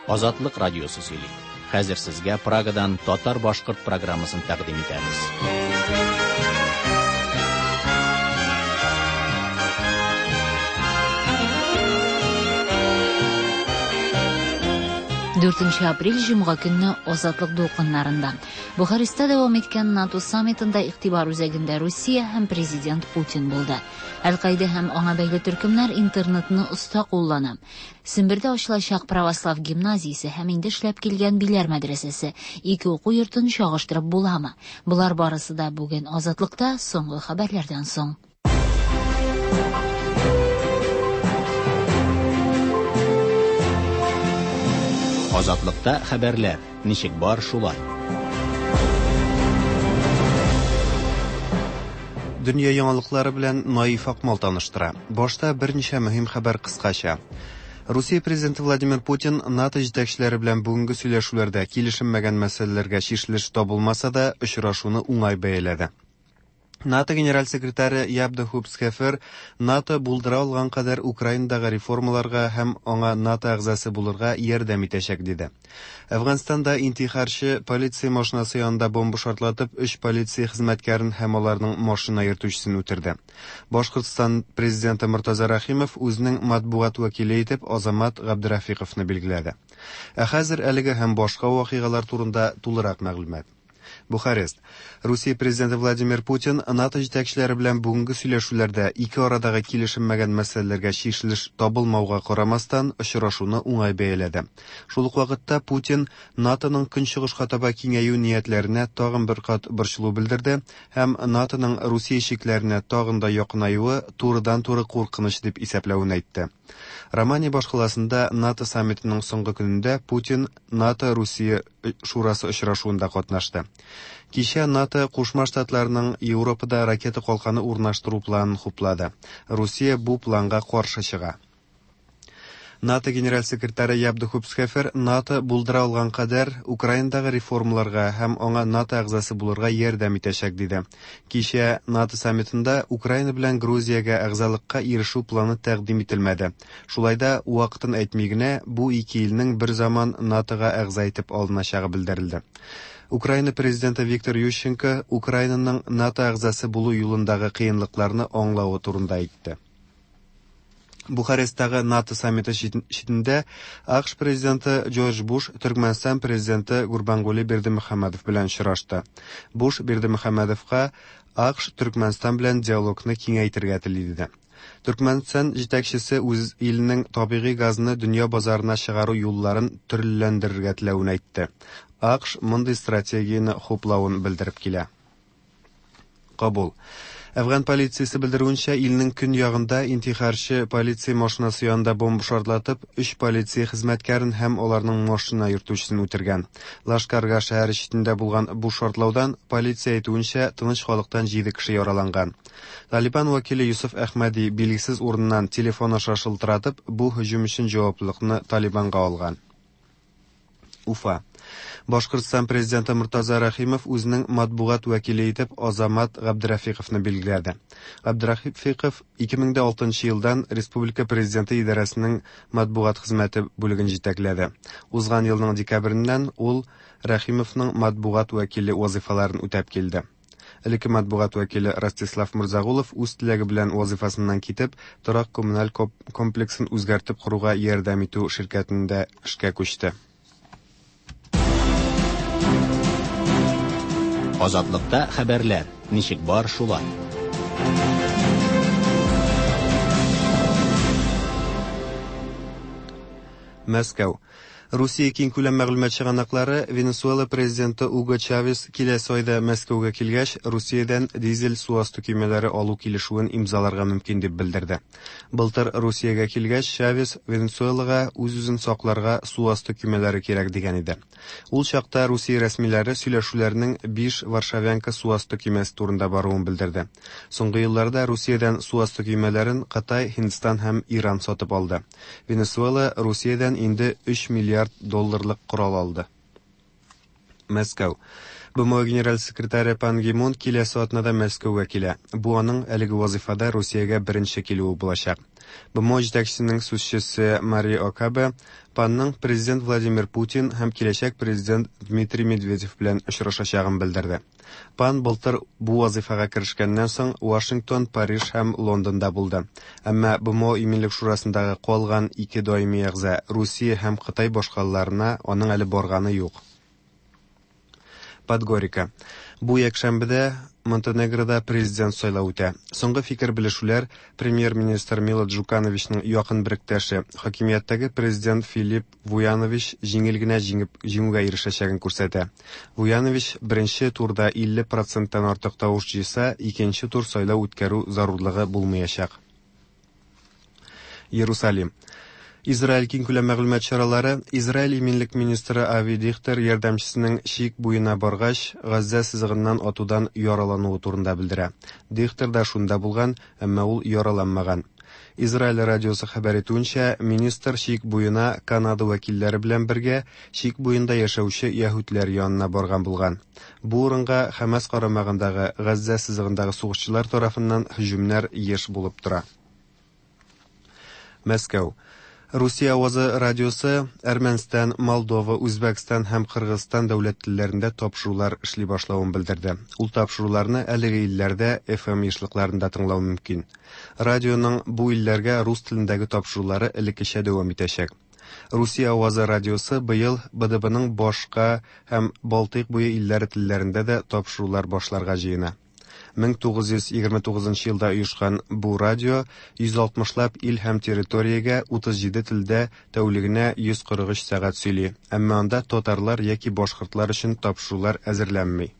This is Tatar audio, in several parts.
Азатлык радиосы сөйли. Хәзер сезгә Прагадан татар-башкорт программасын тәкъдим итәбез. Дүртенче апрель җомга көнне Азатлык дулкыннарында. Бухарестта дәвам иткән НАТО саммитында игътибар үзәгендә Русия һәм президент Путин булды. Әл-Каида һәм аңа бәйле төркемнәр интернетны оста куллана. Сембердә ачылачак православ гимназиясе һәм инде эшләп килгән Биләр мәдрәсәсе. Ике уку йортын чагыштырып буламы? Болар барысы да бүген Азатлыкта соңгы хәбәрләрдән соң. Азатлыкта хәбәрләр ничек бар шулай. Дөнья яңалыклары белән Наиф Акмал таныштыра. Башта берничә мөһим хәбәр кыскача. Русия президенты Владимир Путин НАТО җитәкчеләре белән бүгенге сөйләшүләрдә килешенмәгән мәсьәләләргә чишелеш табылмаса да, очрашуны уңай бәяләде. НАТО генераль секретаре Ябда Хупсхефер НАТО булдыра алган кадәр Украинадагы реформаларга һәм аңа НАТО әгъзасы булырга ярдәм итәчәк, диде. Әфганстанда интихарчы полиция машинасы янында бомба шартлатып, өч полиция хезмәткәрен һәм аларның машина йөртүчесен үтерде. Башкортстан президенты Мортаза Рәхимов үзенең матбугат вәкиле итеп Азамат Габдрафиковны билгеләде. Ә хәзер әлеге һәм башка вакыйгалар турында тулырак мәгълүмат. Бухарест. Русия президенты Владимир Путин НАТО җитәкчеләре белән бүгенге сөйләшүләрдә ике арадагы килешенмәгән мәсьәләләргә чишелеш табылмауга карамастан, очрашуны уңай бәяләде. Шул ук вакытта Путин НАТОның көнчыгышка таба киңәю ниятләренә тагын бер кат борчылу белдерде һәм НАТОның Русия чикләренә тагын да якынаюы турыдан-туры куркыныч дип исәпләвен әйтте. Романия башкаласында НАТО саммитының соңгы көнендә Путин НАТО-Русия шурасы очрашуында катнашты. Кичә НАТО Кушма Штатларның Европада ракета калканы урнаштыру планын хуплады. Русия бу планга каршы чыга. НАТО генераль секретаре Яб де Хупсхефер НАТО булдыра алган кадәр Украинадагы реформаларга һәм аңа НАТО әгъзасы булырга ярдәм итәчәк, диде. Кичә НАТО саммитында Украина белән Грузиягә әгъзалыкка ирешү планы тәкъдим ителмәде. Шулай да, вакытын әйтми генә, бу ике илнең бер заман НАТОга әгъза итеп алыначагы белдерелде. Украина президенты Виктор Ющенко Украинаның НАТО әгъзасы булу юлындагы кыенлыкларны аңлавы турында әйтте. Бухаресттагы НАТО саммиты читендә АКШ президенты Джордж Буш Төркмәнстан президенты Гурбангули Бердымөхәммәдов белән очрашты. Буш Бердымөхәммәдовка АКШ Төркмәнстан белән диалогны киңәйтергә тели диде. Төркмәнстан җитәкчесе үз иленең табигый газны дөнья базарына чыгару юлларын төрлеләндерергә теләвен әйтте. АКШ мондый стратегияне хуплавын белдереп килә. Кабул. Әфган полициясе белдерүенчә, илнең көньягында интихарчы полиция машинасы янында бомба шартлатып, өч полиция хезмәткәрен һәм аларның машина йөртүчесен үтергән. Лашкарга шәһәре читендә булган бу шартлаудан, полиция әйтүенчә, тыныч халыктан җиде кеше яраланган. Талибан вәкиле Юсуф Әхмәди билгесез урыннан телефон аша шылтыратып, бу һөҗүм өчен җаваплылыкны Талибанга алган. Уфа. Башкортстан президенты Мортаза Рәхимов үзенең матбугат вәкиле итеп Азамат Габдрафиковны билгеләде. Габдрафиков 2006 елдан республика президенты идарәсенең матбугат хезмәте бүлеген җитәкләде. Узган елның декабреннән ул Рәхимовның матбугат вәкиле вазыйфаларын үтәп килде. Элекке матбугат вәкиле Ростислав Морзагулов үз теләге белән вазыйфасыннан китеп, торак-коммуналь комплексын үзгәртеп коруга ярдәм итү ширкәтендә эшкә күчте. Азатлыкта хәбәрләр ничек бар шулай. Мәскәү. Русия киңкүләм мәгълүмат чыганаклары Венесуэла президенты Уго Чавес киләсе айда Мәскәүгә килгәч, Русиядән дизель су асты көймәләре алу килешүен имзаларга мөмкин дип белдерде. Былтыр Русиягә килгәч, Чавес Венесуэлага үз-үзен сакларга су асты көймәләре кирәк дигән иде. Ул чакта Русия рәсмиләре сөйләшүләрнең 5 Варшавянка су асты көймәсе турында баруын белдерде. Соңгы елларда Русиядән су асты көймәләрен Кытай, Һиндстан һәм Иран сатып алды. Венесуэла Русиядән инде 3 миллиард долларлык корал алды. Мәскәү. БМО генераль секретаре Пан Ги Мун киләсе атнада Мәскәүгә килә. Бу аның әлеге вазифада Русиягә беренче килүе булачак. БМО җитәкчесенең сүзчесе Мари Окабе Панның президент Владимир Путин һәм киләчәк президент Дмитрий Медведев белән очрашачагын белдерде. Пан былтыр бу вазыйфага керешкәннән соң Вашингтон, Париж һәм Лондонда булды. Әмма БМО Иминлек шурасындагы калган ике даими әгъза Русия һәм Кытай башкалаларына аның әле барганы юк. Подгорика. Бу якшәмбедә Монтенегрода президент сайлау үтә. Соңгы фикер белешүләр премьер-министр Мило Джукановичның якын беректәше, хакимияттәге президент Филипп Вуянович җиңел генә җиңеп җиңүгә ирешәчәген күрсәтә. Вуянович беренче турда 50 проценттан артык тавыш җыйса, икенче тур сайлау үткәрү зарурлыгы булмаячак. Иерусалим. Израиль киңкүләм мәгълүмат чаралары Израиль иминлек министры Ави Дихтер ярдәмчесенең чик буена баргач, Газзә сызыгыннан атудан яралануы турында белдерә. Дихтер да шунда булган, әмма ул яраланмаган. Израиль радиосы хәбәр итүенчә, министр чик буена Канада вәкилләре белән бергә чик буенда яшәүче яһүдләр янына барган булган. Бу урынга Хәмас карамагындагы Газзә сызыгындагы сугышчылар тарафыннан һөҗүмнәр еш булып тора. Мәскәү. Русия авазы радиосы Әрмәнстан, Молдова, Үзбәкстан һәм Кыргызстан дәүләт телләрендә тапшырулар эшли башлавын белдерде. Ул тапшыруларны әлеге илләрдә FM ешлыкларында тыңлау мөмкин. Радионың бу илләргә рус телендәге тапшырулары элеккечә дәвам итәчәк. Русия авазы радиосы быел БДБның башка һәм Балтыйк буе илләре телләрендә дә тапшырулар башларга җыена. 1929 елда оешкан бу радио 160 лап ил һәм территориягә 37 телдә тәүлегенә 143 сәгать сөйли. Әмма анда татарлар яки башкортлар өчен тапшырулар әзерләнми.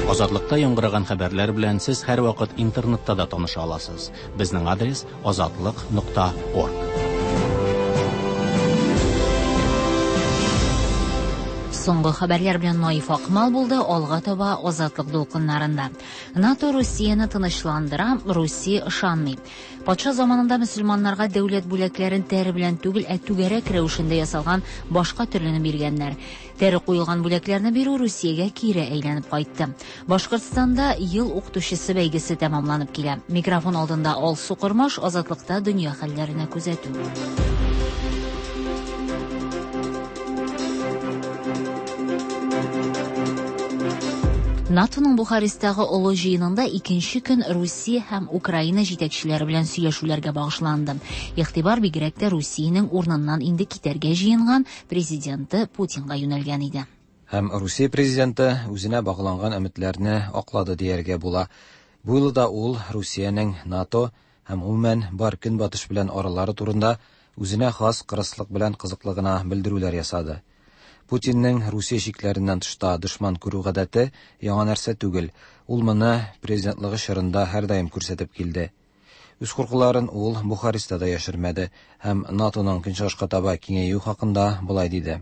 Азатлыкта яңгыраган хәбәрләр белән сез һәрвакыт интернетта да таныша аласыз. Безнең адрес azatliq.org. Соңгы хәбәрләр белән Наиф Акмал булды, алга таба Азатлык дулкыннарында. НАТО Русияне тынычландыра, Русия ышанмый. Патша заманында мөселманнарга дәүләт бүләкләрен тәре белән түгел, ә түгәрәк рәвешендә ясалган башка төрлене биргәннәр. Тәре куелган бүләкләрне бирү Русиягә кире әйләнеп кайтты. Башкортстанда ел укытучысы бәйгесе тәмамланып килә. Микрофон алдында Алсу Кормаш, Азатлыкта дөнья хәлләренә күзәтү. НАТОның Бухаресттагы олы җыенында икенче көн Русия һәм Украина җитәкчеләре белән сөйләшүләргә багышланды. Игътибар бигрәк тә Русиянең урыныннан инде китәргә җыенган президенты Путинга юнәлгән иде. Һәм Русия президенты үзенә багланган өметләрне аклады дияргә була. Бу юлы да ул Русиянең НАТО һәм гомумән бар Көнбатыш белән аралары турында үзенә хас кырыслык белән кызыклы гына белдерүләр ясады. Путинның Русия чикләреннән тышта дошман күрү гадәте яңа нәрсә түгел. Ул моны президентлыгы чорында һәрдаим күрсәтеп килде. Үз куркуларын ул Бухареста да яшермәде һәм НАТОның көнчыгышка таба киңәюе хакында болай диде.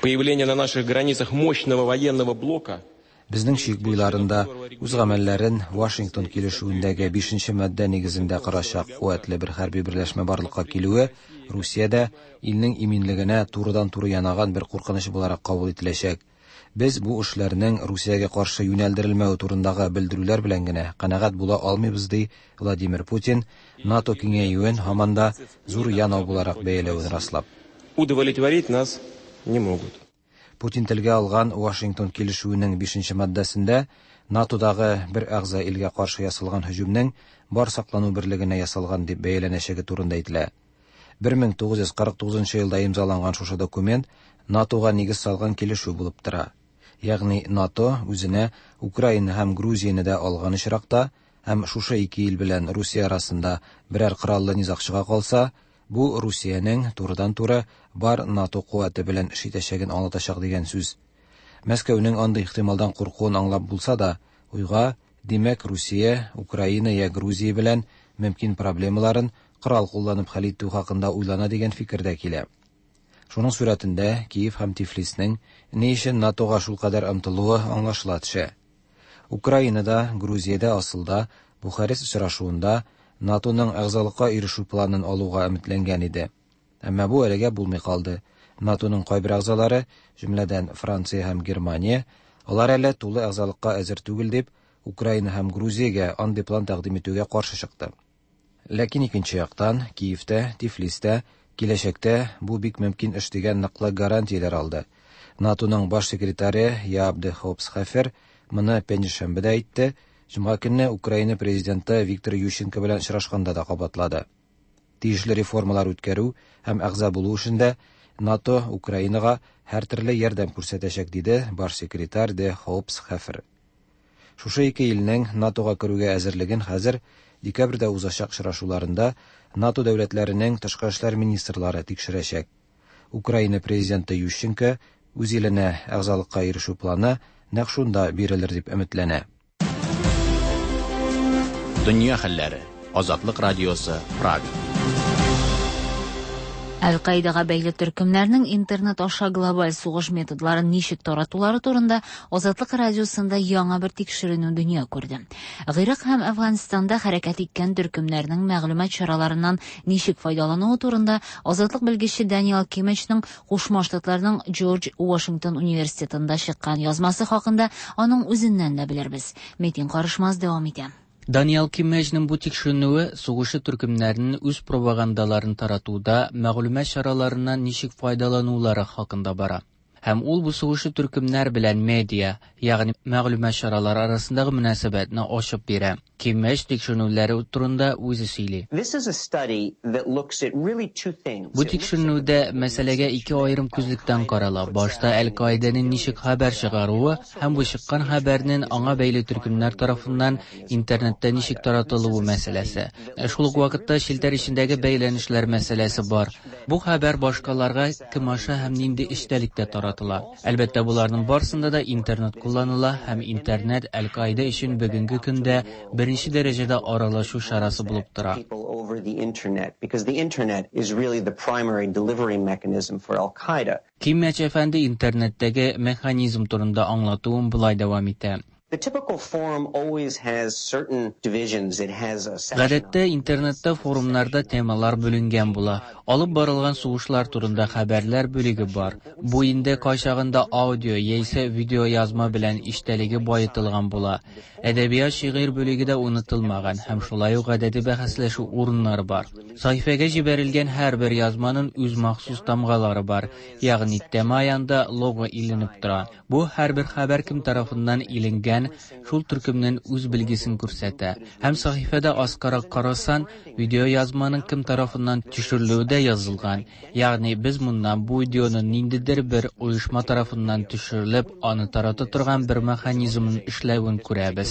Появление на наших границах мощного военного блока Безнең чик буйларында үз гамәлләрен Вашингтон килешүендәге 5 маддә нигезендә корачак куәтле бер хәрби берләшмә барлыкка килүе Русиядә илнең иминлегенә турыдан-туры янаган бер куркыныч буларак кабул ителәчәк. Без бу эшләрнең Русиягә каршы юнәлдерелмәве турындагы белдерүләр белән генә канәгать була алмыйбыз, ди Владимир Путин, НАТО киңәюен һаман да зур янау буларак бәяләвен раслап. Удовлетворить нас не могут. Путин телгә алган Вашингтон килешүенең 5 маддәсендә НАТОдагы бер әгъза илгә каршы ясалган һөҗүмнең бар саклану берлегенә ясалган дип бәяләнәчәге турында әйтелә. 1949 елда имзаланган шушы документ НАТОга нигез салган килешү булып тора. Ягъни НАТО үзенә Украина һәм Грузияне дә алган очракта һәм шушы ике ил белән Русия арасында берәр кораллы низаг чыга калса, бу Русиянең турыдан-туры бар НАТО куәте белән эш итәчәген аңлатачак дигән сүз. Мәскәүнең андый ихтималдан куркуын аңлап булса да, уйга, димәк, Русия, Украина я Грузия белән мөмкин проблемаларын корал кулланып хәл итү хакында уйлана дигән фикер дә килә. Шуның сурәтендә Киев һәм Тифлиснең ни өчен НАТОга шулкадәр омтылуы аңлашыла төшә. Украинада, Грузиядә асылда Бухарест очрашуында НАТОның әгъзалыкка ирешү планын алуга өметләнгән иде. Әмма бу әлегә булмый калды. НАТОның кайбер әгъзалары, җөмләдән Франция һәм Германия, алар әле тулы әгъзалыкка әзер түгел дип, Украина һәм Грузиягә андый план тәкъдим итүгә каршы чыкты. Ләкин икенче яктан, Киевтә, Тифлистә киләчәктә бу бик мөмкин эш дигән ныклы гарантияләр алды. НАТОның баш секретаре Яап де Хоп Схефер моны пәнҗешәмбедә әйтте, җомга көнне Украина президенты Виктор Ющенко белән очрашканда да кабатлады. Тиешле реформалар үткәрү һәм әгъза булу эшендә НАТО Украинага һәртөрле ярдәм күрсәтәчәк, диде баш секретарь де Хоп Схефер. Шушы ике илнең НАТОга керүгә әзерлеген хәзер декабрьдә узачак очрашуларында НАТО дәүләтләренең тышкы эшләр министрлары тикшерәчәк. Украина президенты Ющенко үз иленә әгъзалыкка ирешү планы нәкъ шунда бирелер дип өметләнә. Дөнья хәлләре. Азатлык радиосы, Прага. Әл-Каидага бәйле төркемнәрнең интернет аша глобаль сугыш методларын ничек таратулары турында Азатлык радиосында яңа бер тикшеренү дөнья күрде. Гыйрак һәм Әфганстанда хәрәкәт иткән төркемнәрнең мәгълүмат чараларыннан ничек файдалануы турында Азатлык белгече Даниэл Кимечның Кушма Штатларның Джордж Вашингтон университетында чыккан язмасы хакында аның үзеннән дә белербез. Метин Карышмаз дәвам итә. Даниэл Киммеҗнең бу тикшеренүе сугышчы төркемнәрнең үз пропагандаларын таратуда мәгълүмат чараларыннан ничек файдаланулары хакында бара. Һәм ул бу сугышчы төркемнәр белән медиа, ягъни мәгълүмат чаралары арасындагы мөнәсәбәтне ачып бирә. Киммеҗ тикшеренүләре турында үзе сөйли. Бу тикшеренүдә мәсьәләгә ике аерым күзлектән карала. Башта Әл-Каидәнең ничек хәбәр чыгаруы һәм бу чыккан хәбәрнең аңа бәйле төркемнәр тарафыннан интернетта ничек таратылуы мәсьәләсе. Шул ук вакытта челтәр эчендәге бәйләнешләр мәсьәләсе бар. Бу хәбәр башкаларга кем аша һәм нинди эчтәлектә таратыла. Әлбәттә, боларның барсында да интернет кулланыла һәм интернет Әл-Каидә өчен бүгенге көндә беренче дәрәҗәдә аралашу чарасы булып тора. Киммәч әфәнде интернеттәге механизм турында аңлатуын болай дәвам итә. Гадәттә, интернетта форумнарда темалар бүленгән була. Алып барылган сугышлар турында хәбәрләр бүлеге бар. Бу инде кайчагында аудио яисә видеоязма белән эчтәлеге баетылган була. Әдәбият, шигырь бүлеге дә онытылмаган һәм шулай ук гадәти бәхәсләшү урыннары бар. Сәхифәгә җибәрелгән һәрбер язманың үз махсус тамгалары бар, ягъни тема янында лого иленеп тора. Бу һәрбер хәбәр кем тарафыннан иленгән, шул төркемнең үз билгесен күрсәтә. Һәм сәхифәдә аскарак карасан, видеоязманың кем тарафыннан төшерелүе дә язылган. Ягъни без моннан бу видеоның ниндидер бер оешма тарафыннан төшерелеп, аны тарата торган бер механизмның эшләвен күрәбез.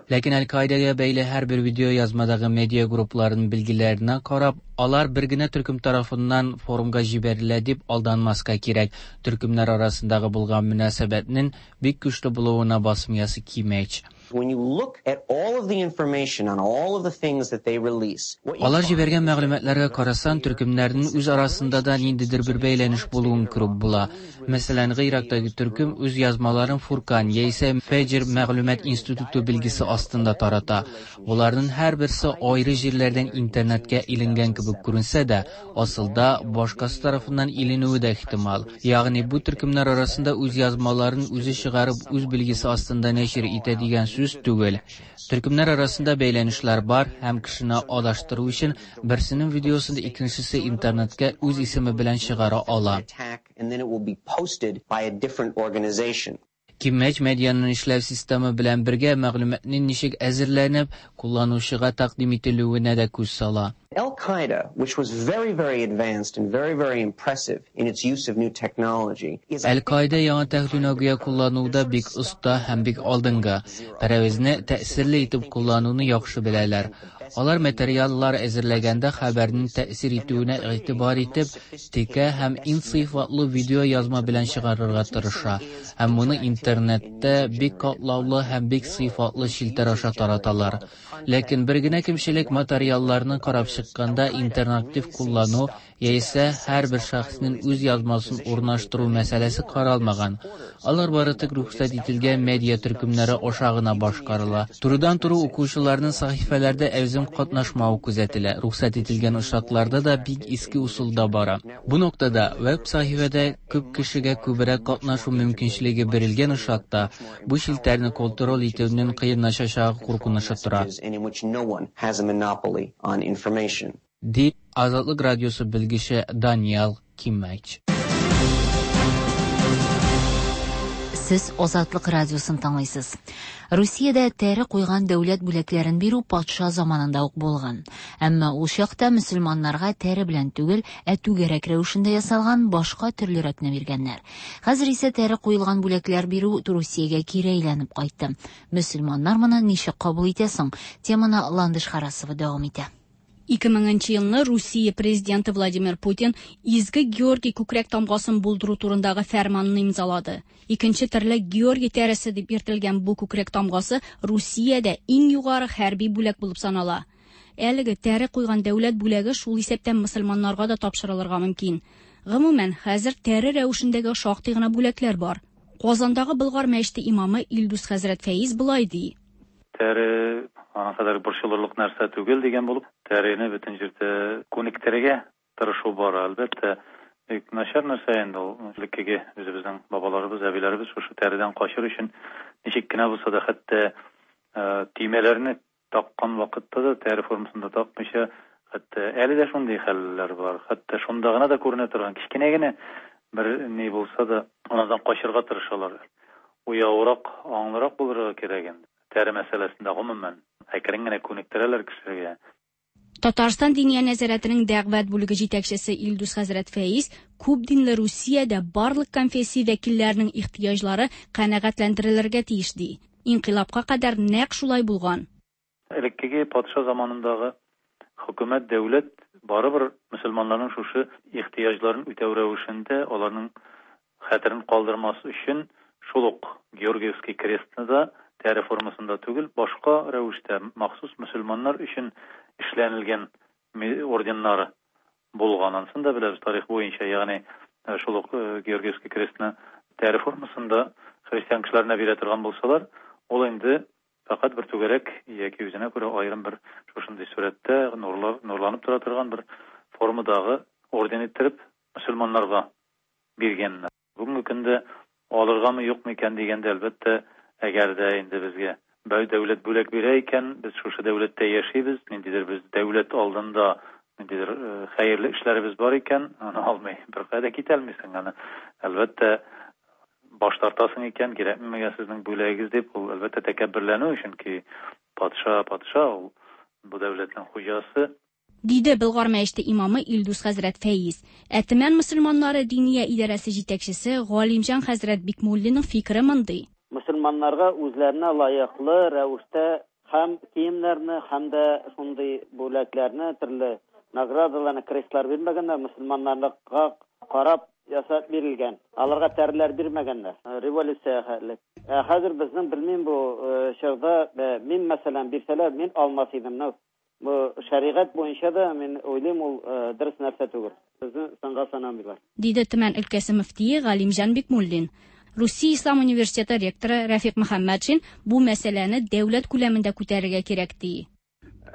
Ләкин Әл-Каидәгә бәйле һәрбер видеоязмадагы медиа группларының билгеләренә карап, алар бер генә төркем тарафыннан форумга җибәрелә дип алданмаска кирәк. Төркемнәр арасындагы булган мөнәсәбәтнең бик көчле булуына басым ясый Киммеч. Алар җибәргән мәгълүматларга карасан, төркемнәрнең үз арасында да ниндидер бер бәйләнеш булуын күреп була. Мәсәлән, Гыйрактагы төркем үз язмаларын Фуркан яисә Фәҗр мәгълүмат институты билгесе астында тарата. Боларның һәрберсе аеры җирләрдән интернетка иленгән кебек күренсә дә, асылда башкасы тарафыннан иленүе дә ихтимал. Ягъни бу төркемнәр арасында үз язмаларын үзе чыгарып, үз билгесе астында нәшир итә дигән сүз түгел. Төркемнәр арасында бәйләнешләр бар һәм кешене адаштыру өчен берсенең видеосын икенчесе интернетка үз исеме белән чыгара ала. Киммеч медианың эшләү системы белән бергә мәгълүматның ничек әзерләнеп, кулланучыга тәкъдим ителүенә дә күз сала. Әл-Каида яңа технология куллануда бик оста һәм бик алдынгы. Пәрәвезне тәэсирле итеп куллануны яхшы беләләр. Алар материаллар әзерләгәндә хәбәрнең тәэсир итүенә игътибар итеп, текә һәм иң сыйфатлы видео язма белән чыгарырга тырыша. Һәм моны интернетта бик катлаулы һәм бик сыйфатлы челтәр аша тараталар. Ләкин бер генә кимчелек материалларны карап чыкканда интерактив куллану, яисә һәрбер шәхеснең үз язмасын урнаштыру мәсьәләсе каралмаган. Алар бары тик рөхсәт ителгән медиа төркемнәре аша гына башкарыла. Турыдан-туры укучыларның сәхифәләрдә әүзем катнашмавы күзәтелә, рөхсәт ителгән очракларда да бик иске ысулда бара. Бу ноктада веб-сәхифәдә күп кешегә күбрәк катнашу мөмкинчелеге бирелгән очракта, бу челтәрне контроль итүнең кыенлашачагы куркынычы тора. Ди Азатлык радиосы белгече Даниэл Киммәч. Сез Азатлык радиосын тыңлыйсыз. Русиядә тәре куйган дәүләт бүләкләрен бирү патша заманында ук булган. Әмма ул чакта мөселманнарга тәре белән түгел, ә түгәрәк рәвешендә ясалган башка төрлерәкне биргәннәр. Хәзер исә тәре куелган бүләкләр бирү Русиягә кире әйләнеп кайтты. Мөселманнар моны ничек кабул итә соң? Теманы Ландыш Харасова дәвам итә. 2000 нче елны Русия президенты Владимир Путин Изге Георгий күкрәк тамгасын булдыру турындагы фәрманны имзалады. Икенче төрле Георгий тәресе дип йөртелгән бу күкрәк тамгасы Русиядә иң югары хәрби бүләк булып санала. Әлеге тәре куйган дәүләт бүләге шул исәптән мөселманнарга да тапшырылырга мөмкин. Гомумән, хәзер тәре рәвешендәге шактый гына бүләкләр бар. Казандагы Болгар мәчете имамы Илдус хәзрәт Фәиз болай ди. Тәре аның кадәр борчылырлык нәрсә түгел дигән булып, тәрене бөтен җирдә күнектерергә тырышу бара. Әлбәттә, бик начар нәрсә инде ул. Элеккеге үзебезнең бабаларыбыз, әбиләребез шушы тәредән качыр өчен ничек кенә булса да, хәтта төймәләрне таккан вакытта да тәре формасында такмыйча, хәтта әле дә шундый хәлләр бар. Хәтта шунда гына да күренә торган кечкенә генә бер ни булса да, анардан качырга тырышалар. Уяурак, аңлырак булырга кирәк инде. Тәре мәсьәләсендә гомумән әкрен генә күнектерәләр кешегә. Татарстан Диния нәзарәтенең дәгъват бүлеге җитәкчесе Илдус хәзрәт Фәиз күп динле Русиядә барлык конфессия вәкилләренең ихтыяҗлары канәгатьләндерелергә тиеш ди. Инкыйлабка кадәр нәкъ шулай булган. Элеккеге патша заманындагы хөкүмәт, дәүләт барыбер мөселманнарның шушы ихтыяҗларын үтәү рәвешендә аларның хәтерен калдырмас өчен шул ук Георгиевский крестны да тәре формасында түгел, башка рәвештә махсус мөселманнар өчен эшләнелгән орденнары булган. Анысын да беләбез тарих буенча, ягъни шул ук Георгиевский крестны тәре формасында христиан кешеләренә бирә торган булсалар, ул инде фәкать бер түгәрәк яки үзенә күрә аерым бер шушындый сурәттә нурлар, нурланып тора торган бер формадагы орден иттереп мөселманнарга биргәннәр. Бүгенге көндә алыргамы, юкмы икән дигәндә, әлбәттә, әгәр дә инде безгә дәүләт бүләк бирә икән, без шушы дәүләттә яшибез, ниндидер без дәүләт алдында ниндидер хәерле эшләребез бар икән, аны алмый беркая да китә алмыйсың. Аны, әлбәттә, баш тартасың икән, кирәкме миңа сезнең бүләгегез дип, ул, әлбәттә, тәкәбберләнү, чөнки патша, патша ул, бу дәүләтнең хуҗасы. Диде Болгар мәчете имамы Илдус хәзрәт Фәиз. Ә Төмән мөселманнары Диния идарәсе җитәкчесе Галимҗан хәзрәт Бикмуллинның фикере мондый. Мөселманнарга үзләренә лаеклы рәвештә һәм киемнәрне, һәм дә шундый бүләкләрне, төрле наградаларны, крестлар бирмәгәннәр, мөселманнарга карап ясап бирелгән. Аларга тәреләр бирмәгәннәр. Революциягә хәтле. Ә хәзер безнең, белмим, бу чорда, мин, мәсәлән, бирсәләр, мин алмас идем. Бу шәригать буенча да, мин уйлыйм, ул дөрес нәрсә түгел. Безне санга санамыйлар. Диде Төмән өлкәсе мөфтие Галимҗан Бикмуллин. Русия Ислам университеты ректоры Рәфикъ Мөхәммәтшин бу мәсьәләне дәүләт күләмендә күтәрергә кирәк, ди.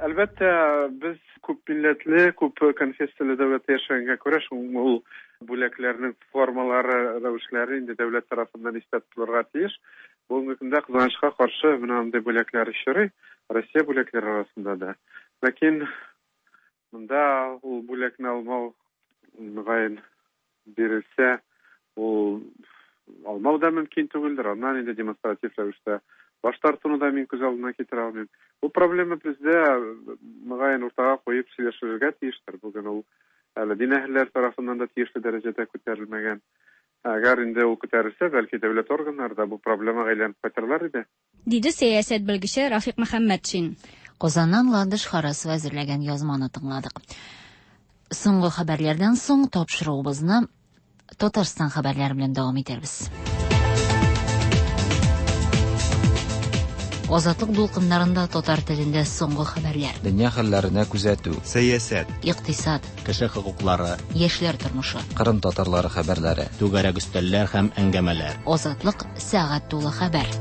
Әлбәттә, без күп милләтле, күп конфессияле дәүләттә яшәгәнгә күрә, шул ул бүләкләрнең формалары, рәвешләре инде дәүләт тарафыннан истә тотылырга тиеш. Бүгенге көндә, кызганычка каршы, менә андый бүләкләр очрый, Россия бүләкләре арасында да. Ләкин монда ул бүләкне алмау, мөгаен, бирелсә, ул алмау да мөмкин түгелдер. Аннан инде демонстратив рәвештә баш тартуны да мин күз алдына китерә алмыйм. Бу проблема бездә, мөгаен, уртага куеп сөйләшергә тиештер. Бүген ул әле дин әһелләре тарафыннан да тиешле дәрәҗәдә күтәрелмәгән. Әгәр инде ул күтәрелсә, бәлки дәүләт органнары да бу проблемага әйләнеп кайтырлар иде. Диде сәясәт белгече Рафик Мөхәммәтшин. Казаннан Ландыш Харасова әзерләгән язманы тыңладык. Соңгы хәбәрләрдән соң тапшыруыбызны Татарстан хәбәрләре белән дәвам итәрбез. Азатлык дулкыннарында татар телендә соңгы хәбәрләр. Дөнья хәлләренә күзәтү. Сәясәт. Икътисад. Кеше хокуклары. Яшьләр тормышы. Кырым татарлары хәбәрләре. Түгәрәк өстәлләр һәм әңгәмәләр. Азатлык сәгать тулы хәбәр.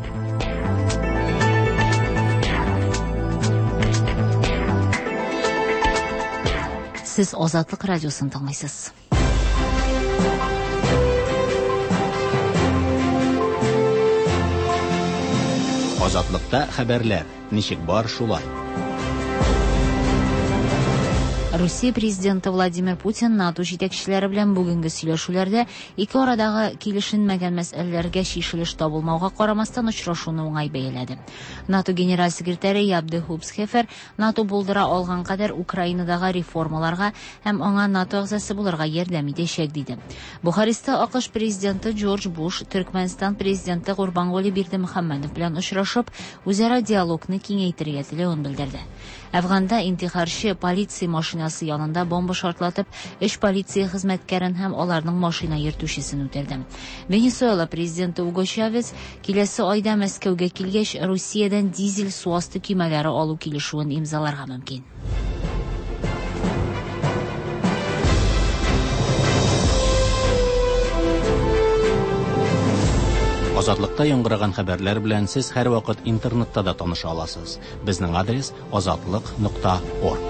Сез Азатлык радиосын тыңлыйсыз. Азатлыкта хәбәрләр. Ничек бар, шулай. Русия президенты Владимир Путин НАТО җитәкчеләре белән бүгенге сөйләшүләрдә ике арадагы килешенмәгән мәсьәләләргә чишелеш табылмауга карамастан очрашуны уңай бәяләде. НАТО генераль секретаре Яб де Хупсхефер НАТО булдыра алган кадәр Украинадагы реформаларга һәм аңа НАТО әгъзасы булырга ярдәм итәчәк диде. Бухареста АКШ президенты Джордж Буш Төркмәнстан президенты Гурбанголи Бердымөхәммәдов белән очрашып, үзара диалогны киңәйтергә теләвен белдерде. Әфганда интихарчы полиция машинасы янында бомба шартлатып, өч полиция хезмәткәрен һәм аларның машина йөртүчесен үтерде. Венесуэла президенты Уго Чавес киләсе айда Мәскәүгә килгәч, Русиядән дизель су асты көймәләре алу килешүен имзаларга мөмкин. Азатлыкта яңгыраган хәбәрләр белән сез һәрвакыт интернетта да таныша аласыз. Безнең адрес азатлык.орг.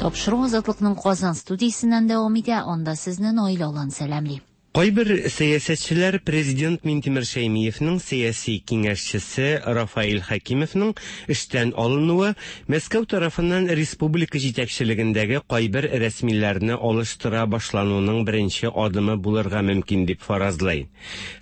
Тапшыру Азатлыкның Казан студиясеннән дәвам итә. Анда сезне Наилә Алан сәламли. Кайбер сәясәтчеләр президент Минтимер Шәймиевның сәяси киңәшчесе Рафаил Хәкимовның эштән алынуы Мәскәү тарафыннан республика җитәкчелегендәге кайбер рәсмиләрне алыштыра башлануның беренче адымы булырга мөмкин дип фаразлый.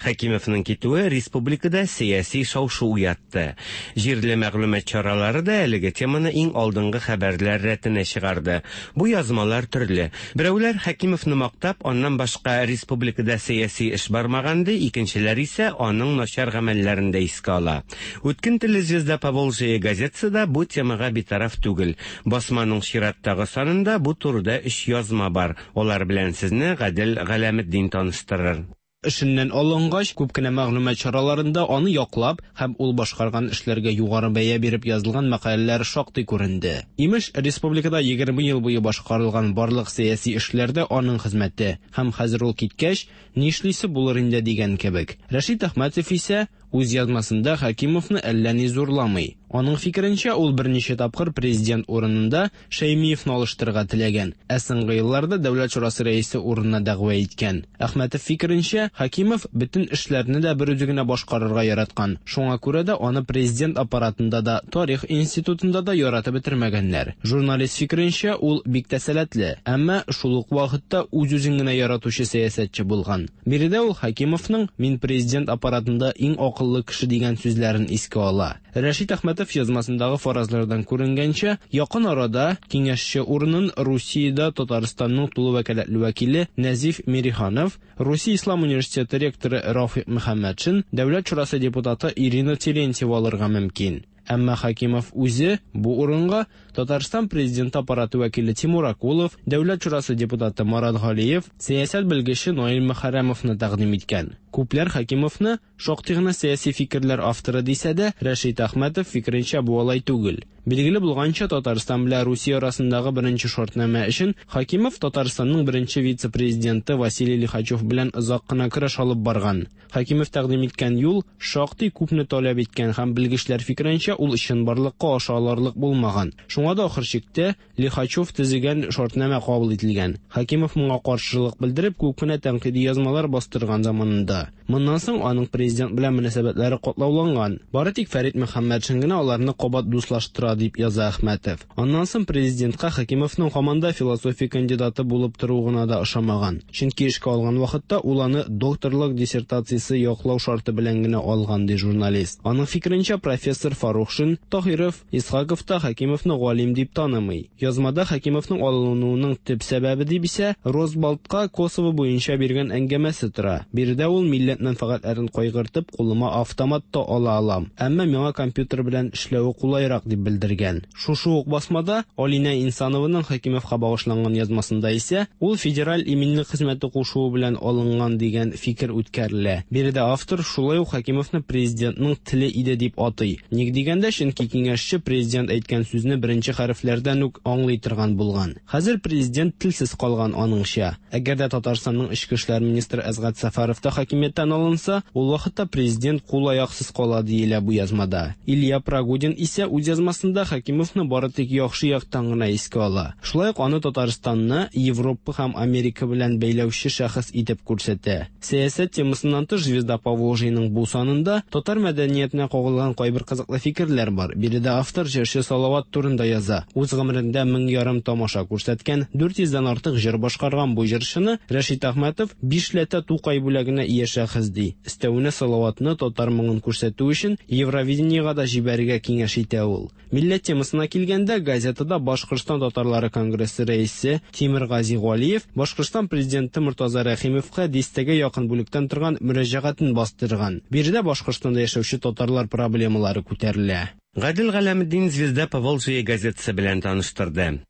Хәкимовның китүе республикада сәяси шау-шу уятты. Җирле мәгълүмат чаралары да әлеге теманы иң алдынгы хәбәрләр рәтенә чыгарды. Бу язмалар төрле. Берәүләр Хәкимовны мактап, аннан башка республикада сәяси эш бармаган ди, икенчеләр исә аның начар гамәлләрен дә искә ала. Үткен телле Звезда Поволжья газетасы да бу темага битараф түгел. Басманың чираттагы санында бу турыда өч язма бар. Алар белән сезне Гадел Галәметдин таныштырыр. Эшеннән алынгач, күп кенә мәгълүмат чараларында аны яклап һәм ул башкарган эшләргә югары бәя биреп язылган мәкаләләр шактый күренде. Имеш, республикада 20 ел буе башкарылган барлык сәяси эшләрдә аның хезмәте һәм хәзер ул киткәч, нишлисе булыр инде дигән кебек. Рәшит Әхмәтов исә үз язмасында Хәкимовны әллә ни зурламый. Аның фикеренчә, ул берничә тапкыр президент урынында Шәймиевны алыштырырга теләгән, ә соңгы елларда Дәүләт шурасы рәисе урынына дәгъва иткән. Әхмәтов фикеренчә, Хәкимов бөтен эшләрне дә бер үзе генә башкарырга яраткан. Шуңа күрә дә аны президент аппаратында да, тарих институтында да яратып бетермәгәннәр. Журналист фикеренчә, ул бик тә сәләтле, әмма шул ук вакытта үз-үзен генә яратучы сәясәтче булган. Биредә ул Хәкимовның "Мин президент аппаратында иң акыллы кеше" дигән сүзләрен искә ала. Рәшит Әхмәтов язмасындагы фаразлардан күренгәнчә, якын арада киңәшче урынын Русиядә Татарстанның тулы вәкаләтле вәкиле Нәзиф Мириханов, Русия Ислам университеты ректоры Рафик Мөхәммәтшин, Дәүләт шурасы депутаты Ирина Терентьева алырга мөмкин. Әмма Хәкимов үзе бу урынга Татарстан президенты аппараты вәкиле Тимур Акулов, Дәүләт шурасы депутаты Марат Галиев, сәясәт белгече Наил Мөхәррәмовны тәкъдим иткән. Күпләр Хәкимовны шактый гына сәяси фикерләр авторы дисә дә, Рәшит Әхмәтов фикеренчә бу алай түгел. Билгеле булганча, Татарстан белән Русия арасындагы беренче шартнамә өчен Хәкимов Татарстанның беренче вице-президенты Василий Лихачев белән озак кына көрәш алып барган. Хәкимов тәкъдим иткән юл шактый күпне таләп иткән һәм белгечләр фикеренчә ул чынбарлыкка аша алырлык булмаган. Шуңа да ахыр чиктә Лихачев төзегән шартнамә кабул ителгән. Хәкимов моңа каршылык белдереп, күп кенә тәнкыйди язмалар бастырган заманында. Моннан соң аның президент белән мөнәсәбәтләре катлауланган. Бары тик Фәрит Мөхәммәтшин генә аларны кабат дуслаштыра дип яза Әхмәтов. Аннан соң президентка Хәкимовның һаман да философия кандидаты булып торуы гына да ошамаган. Чөнки эшкә алган вакытта ул аны докторлык диссертациясе яклау шарты белән генә алган, ди журналист. Аның фикеренчә, профессор Фарухшин, Таһиров, Исхаков та Хәкимовны галим дип танымый. Язмада Хәкимовның алынуының төп сәбәбе дип исә Росбалтка Косово буенча биргән әңгәмәсе тора. Биредә ул милләт Милләт мәнфәгатьләрен кайгыртып, кулыма автомат та ала алам. Әмма миңа компьютер белән эшләве кулайрак, дип белдергән. Шушы ук басмада Алинә Инсанованың Хәкимовка багышланган язмасында исә, ул Федераль иминлек хезмәте кушуы белән алынган дигән фикер үткәрелә. Биредә автор шулай ук Хәкимовны президентның теле иде дип атый. Ник дигәндә, чөнки киңәшче президент әйткән сүзне беренче хәрефләрдән үк аңлый торган булган. Хәзер президент телсез калган аныңча. Әгәр дә Татарстанның эчке эшләр министры Әсгать Сәфәров та хакимияттән алынса, ул вакытта президент кул-аяксыз кала, диелә бу язмада. Илья Прогодин исә үз язмасында Хәкимовны бары тик яхшы яктан гына искә ала. Шулай ук аны Татарстанны Европа һәм Америка белән бәйләүче шәхес итеп күрсәтә. Сәясәт темасыннан тыш Звезда Поволжьеның бу санында татар мәдәниятенә кагылган кайбер кызыклы фикерләр бар. Биредә автор җырчы Салават турында яза. Үз гомерендә 1500 тамаша күрсәткән, 400 дән артык җыр башкарган бу җырчыны Рәшит Әхмәтов бишләтә Тукай бүләгенә ия шәхес ди. Өстәвенә Салаватны татар моңын күрсәтү өчен Евровидениегә дә җибәрергә киңәш итә ул. Милләт темасына килгәндә, газетада Башкортстан татарлары конгрессы рәисе Тимергази Галиев Башкортстан президенты Мортаза Рәхимовка дистәгә якын бүлектән торган мөрәҗәгатен бастырган. Биредә Башкортстанда яшәүче татарлар проблемалары күтәрелә. Гадел Галәметдин Звезда Поволжья газетасы белән таныштырды.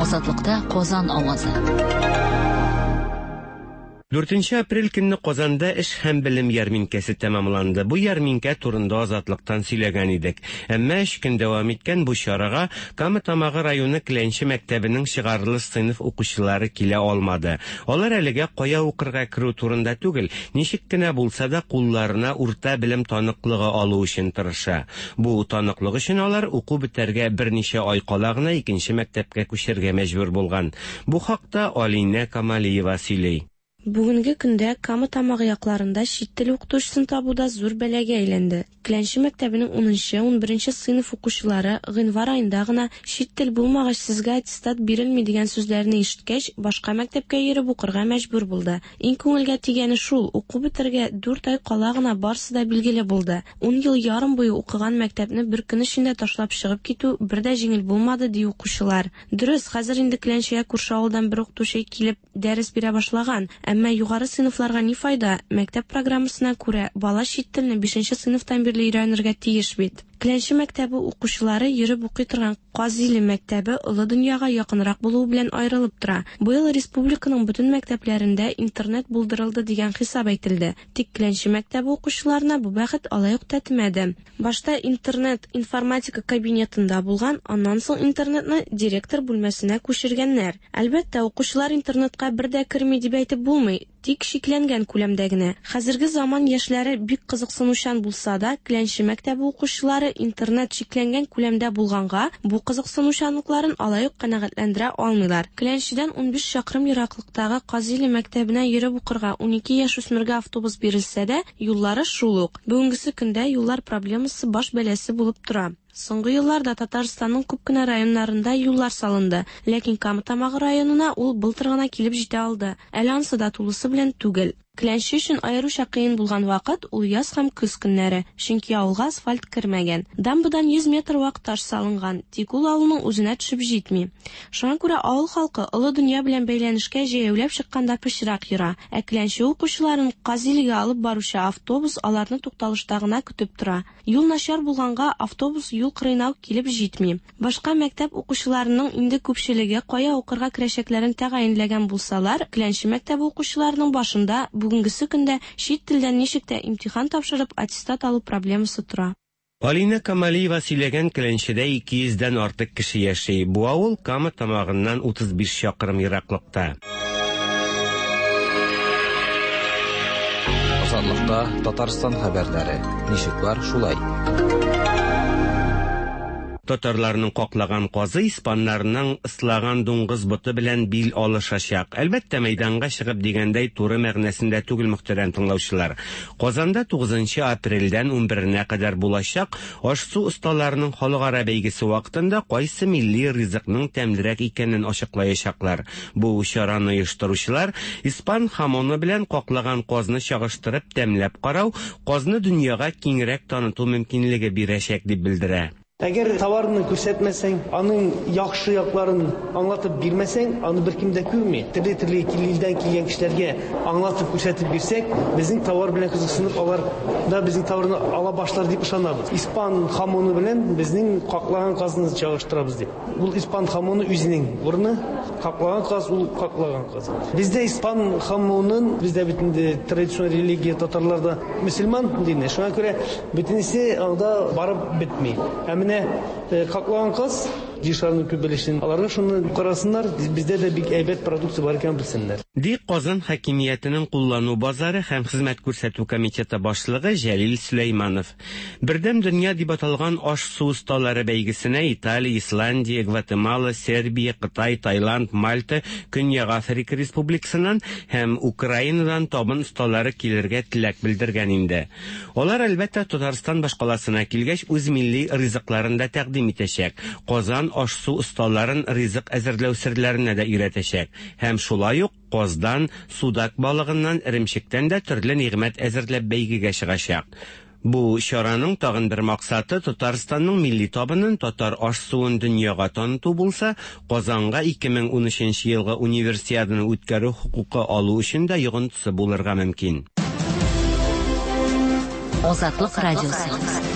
Азатлыкта Казан авазы. Дүртенче апрель көнне Казанда эш һәм белем ярминкәсе тәмамланды. Бу ярминкә турында Азатлыктан сөйләгән идек. Әмма өч көн дәвам иткән бу чарага Кама Тамагы районы Кләнче мәктәбенең чыгарылыш сыйныф укучылары килә алмады. Алар әлегә кая укырга керү турында түгел, ничек кенә булса да кулларына урта белем таныклыгы алу өчен тырыша. Бу таныклык өчен алар уку бетәргә берничә ай кала гына икенче мәктәпкә күчәргә мәҗбүр булган. Бу хакта Алинә Камалиева сөйли. Бүгенге көндә Кама Тамагы якларында чит тел укытучысын табу да зур бәлагә әйләнде. Кләнче мәктәбенең унынчы, унберенче сыйныф укучылары гыйнвар аенда гына чит тел булмагач сезгә аттестат бирелми дигән сүзләрне ишеткәч, башка мәктәпкә йөреп укырга мәҗбүр булды. Иң күңелгә тигәне шул, уку бетәргә дүрт ай кала гына барсы да билгеле булды. Ун ел ярым буе укыган мәктәпне бер көн эчендә ташлап чыгып китү бер дә җиңел булмады, ди укучылар. Дөрес, хәзер инде Кләнчегә күрше авылдан бер укытучы килеп дәрес бирә башлаган, әмма югары сыйныфларга ни файда, мәктәп программасына күрә, бала чит телне бишенче сыйныфтан бирле өйрәнергә тиеш бит. Кләнче мәктәбе укучылары йөреп укый торган Казиле мәктәбе олы дөньяга якынрак булуы белән аерылып тора. Быел республиканың бөтен мәктәпләрендә интернет булдырылды дигән хисап әйтелде. Тик Кләнче мәктәбе укучыларына бу бәхет алай ук тәтемәде. Башта интернет информатика кабинетында булган, аннан соң интернетны директор бүлмәсенә күчергәннәр. Әлбәттә, укучылар интернетка бер дә керми дип әйтеп булмый, тик чикләнгән күләмдә генә. Хәзерге заман яшьләре бик кызыксынучан булса да, Кләнче мәктәбе укучылары интернет чикләнгән күләмдә булганга, бу кызыксынучанлыкларын алай ук канәгатьләндерә алмыйлар. Кләнчедән 15 чакрым ераклыктагы Казиле мәктәбенә йөреп укырга 12 яшүсмергә автобус бирелсә дә, юллары шул ук. Бүгенгесе көндә юллар проблемасы баш бәласе булып тора. Соңгы елларда Татарстанның күп кенә районнарында юллар салынды, ләкин Кама Тамагы районына ул былтыр гына килеп җитә алды. Әле ансы да тулысы белән түгел. Кләнче өчен аеруча кыен булган вакыт ул яз һәм көз көннәре, чөнки авылга асфальт кермәгән. Дамбадан 100 метр вак таш салынган, тик ул авылның үзенә төшеп җитми. Шуңа күрә авыл халкы олы дөнья белән бәйләнешкә җәяүләп чыкканда пычрак йора, ә Кләнче укучыларын Казилегә алып баручы автобус аларны тукталышта гына көтеп тора. Юл начар булганга автобус юл кырыена ук килеп җитми. Башка мәктәп укучыларының инде күпчелеге кая укырга керәчәкләрен тәгаенләгән булсалар, Кләнче мәктәбе укучыларының башында бүгенгесе көндә чит телдән ничек тә имтихан тапшырып аттестат алу проблемасы тора. Алинә Камалиева сөйләгән Кләнчедә 200 дән артык кеше яши. Бу авыл Кама Тамагыннан 35 чакрым ераклыкта. Азатлыкта Татарстан хәбәрләре. Ничек бар, шулай. Татарларның каклаган казы испаннарның ыслаган дуңгыз боты белән бил алышачак. Әлбәттә, мәйданга чыгып дигәндәй туры мәгънәсендә түгел, мөхтәрәм тыңлаучылар. Казанда 9 апрельдән 11-нә кадәр булачак аш-су осталарының халыкара бәйгесе вакытында кайсы милли ризыкның тәмлерәк икәнен ачыклаячаклар. Бу чараны оештыручылар испан хамоны белән каклаган казны чагыштырып тәмләп карау, казны дөньяга киңрәк таныту мөмкинлеге бирәчәк дип белдерә. Әгәр товарны күрсәтмәсәң, аның яхшы якларын аңлатып бирмәсәң, аны беркем дә күрми. Төрле-төрле илдән килгән кешеләргә аңлатып күрсәтеп бирсәк, безнең товар белән кызыксынып, алар да безнең товарны ала башлар дип ышанабыз. Испан хамоны белән безнең каклаган казны чагыштырабыз дип. Ул испан хамоны үзенең урыны, каклаган каз ул каклаган каз. Бездә испан хамонын, бездә бит инде традицион религия татарларда мөселман дине, шуңа күрә бөтенесе анда барып бетми. Ә менә каклаган каз җир күп өлешен аларга шуны карасыннар, бездә дә бик әйбәт продукция бар икәнен белсеннәр. Ди Казан хакимиятенең куллану базары һәм хезмәт күрсәтү комитеты башлыгы Җәлил Сөләйманов. Бердәм дөнья дип аталган аш-су осталары бәйгесенә Италия, Исландия, Гватемала, Сербия, Кытай, Таиланд, Мальта, Көньяк Африка Республикасыннан һәм Украинадан табын осталары килергә теләк белдергән инде. Алар, әлбәттә, Татарстан башкаласына килгәч, үз милли ризыкларын да тәкъдим итәчәк. Казан аш-су осталарын ризык әзерләү серләренә дә өйрәтәчәк. Һәм шулай ук каздан, судак балыгыннан, эремчектән дә төрле нигъмәт әзерләп бәйгегә чыгачак. Бу чараның тагын бер максаты Татарстанның милли табынын, татар аш-суын дөньяга таныту булса, Казанга 2013 елгы Универсиаданы үткәрү хокукы алу өчен дә йогынтысы булырга мөмкин. Азатлык радиосы.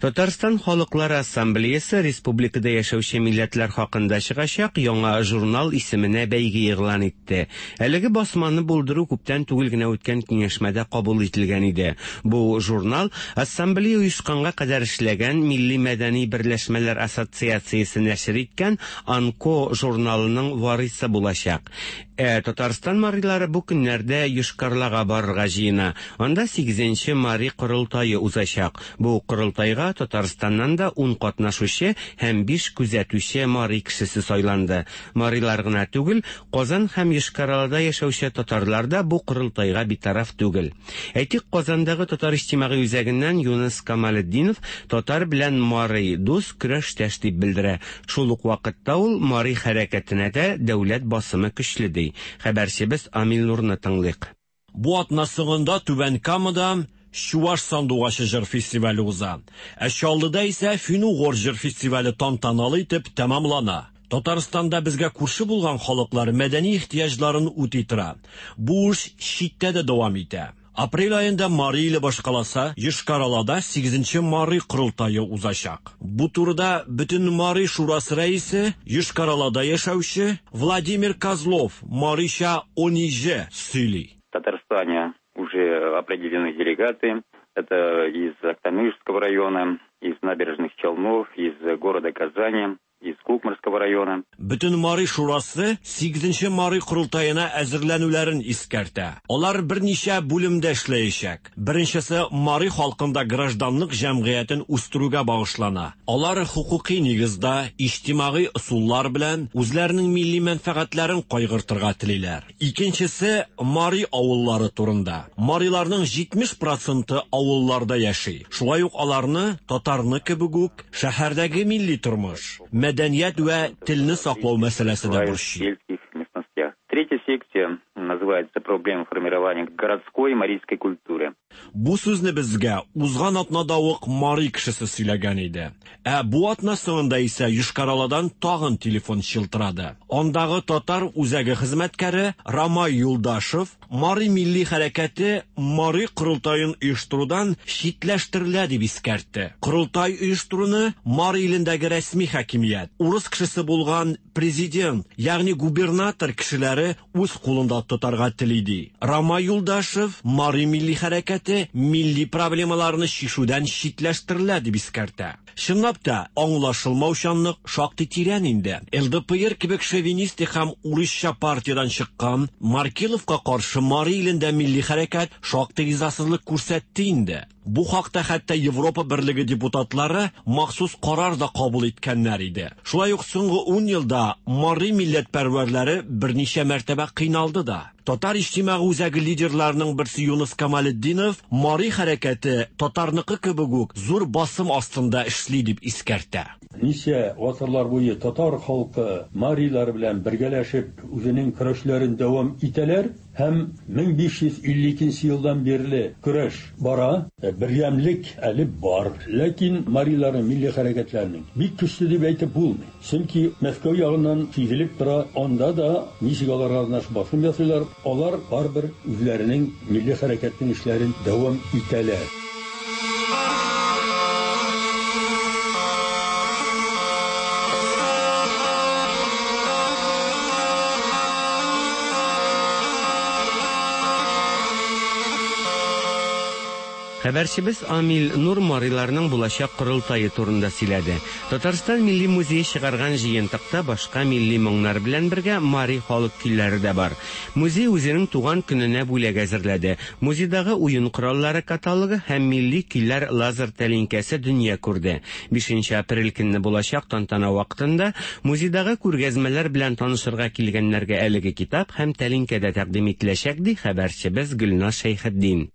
Татарстан Халыклары Ассамблеясы республикада яшәүче милләтләр хакында чыгачак яңа журнал исеменә бәйге игълан итте. Әлеге басманы булдыру күптән түгел генә үткән киңәшмәдә кабул ителгән иде. Бу журнал Ассамблея оешканга кадәр эшләгән Милли мәдәни берләшмәләр ассоциациясе нәшер иткән Анко журналының варисы булачак. Ә Татарстан марилары бу көннәрдә Йошкар-Олага барырга җыена. Анда 8нче мари корылтае узачак. Бу корылтайга Татарстаннан да 10 катнашучы һәм 5 күзәтүче мари кешесе сайланды. Марилар гына түгел, Казан һәм Йошкар-Олада яшәүче татарлар да бу корылтайга битараф түгел. Әйтик, Казандагы татар иҗтимагый үзәгеннән Юныс Камалетдинов татар белән мари дус, көрәштәш дип белдерә. Шул ук вакытта ул мари хәрәкәтенә дә дәүләт басымы көчле ди. Хәбәрчебез Амил Нурны тыңлыйк. Бу атна соңында Түбән Камада Чуваш сандугачы җыр фестивале уза. Ә Чаллыда исә Фин-угор җыр фестивале тантаналы итеп тәмамлана. Татарстанда безгә күрше булган халыклар мәдәни ихтыяҗларын үти тора. Бу эш читтә дә дәвам итә. Апрель аенда Мари иле башкаласы Йошкар-Олада 8нче Мари корылтае узачак. Бу турыда бөтен Мари шурасы рәисе Йошкар-Олада яшәүче Владимир Козлов марича Ониже сөйли. В Татарстане уже определены делегаты. Это из Актанышского района, из Набережных Челнов, из города Казани, из Кукморского района. Бөтен Мари шурасы 8нче Мари корылтаена әзерләнүләрен искәртә. Алар берничә бүлемдә эшләячәк. Беренчесе Мари халкында гражданлык җәмгыятен үстерүгә багышлана. Алар хукуки нигездә иҗтимагый ысуллар белән үзләренең милли мәнфәгатьләрен кайгыртырга телиләр. Икенчесе Мари авыллары турында. Мариларның 70% авылларда яши. Шулай ук аларны татарны кебек үк шәһәрдәге милли тормыш, мәдәният вә телне саклау мәсьәләсе дә борчый. сельских местностях. Третья секция называется «Проблемы формирования городской марийской культуры». Бу сүзне безгә узган атнада ук мари кешесе сөйләгән иде. Ә бу атна соңында исә Йошкар-Оладан тагын телефон чылтырады. Андагы татар үзәге хезмәткәре Рамай Юлдашев Мари милли хәрәкәте Мари корылтаен оештырудан читләштерелә дип искәртте. Корылтай оештыруны Мари илендәге рәсми хакимият, урыс кешесе булган президент, ягъни губернатор кешеләре үз кулында тотарга тели ди. Рамай Юлдашев Мари милли хәрәкәте милли проблемаларны чишүдән читләштерелә дип искәртә. Чынлап та, аңлашылмаучанлык шактый тирән инде. ЛДПР кебек шовинистик һәм урысча партиядан чыккан Маркеловка каршы Мари илендә милли хәрәкәт шактый ризасызлык күрсәтте инде. Бу хакта хәтта Европа берлеге депутатлары махсус карар да кабул иткәннәр иде. Шулай ук соңгы 10 елда Мари милләтпәрвәрләре берничә мәртәбә кыйналды да. Татар иҗтимагый үзәге лидерларының берсе Юныс Камалетдинов Мари хәрәкәте татарныкы кебек үк зур басым астында эшли дип искәртә. Ничә гасырлар буе татар халкы марилар белән бергәләшеп үзенең көрәшләрен дәвам итәләр һәм 1552 нче елдан бирле көрәш бара. Бердәмлек әле бар. Ләкин мариларның милли хәрәкәтләренең бик көчле дип әйтеп булмый. Чөнки Мәскәү ягыннан сизелеп тора, анда да ничек аларга гына басым ясыйлар, алар барыбер үзләренең милли хәрәкәтнең эшләрен дәвам итәләр. Хәбәрчебез Амил Нур мариларның булачак корылтае турында сөйләде. Татарстан Милли музее чыгарган җыентыкта башка милли моңнар белән бергә мари халык көйләре дә бар. Музей үзенең туган көненә бүләк әзерләде. Музейдагы уен кораллары каталогы һәм милли көйләр лазер тәлинкәсе дөнья күрде. Бишенче апрель көнне булачак тантана вакытында музейдагы күргәзмәләр белән танышырга килгәннәргә әлеге китап һәм тәлинкә дә тәкъдим ителәчәк, ди хәбәрчебез Гөлназ Шәйхетдин.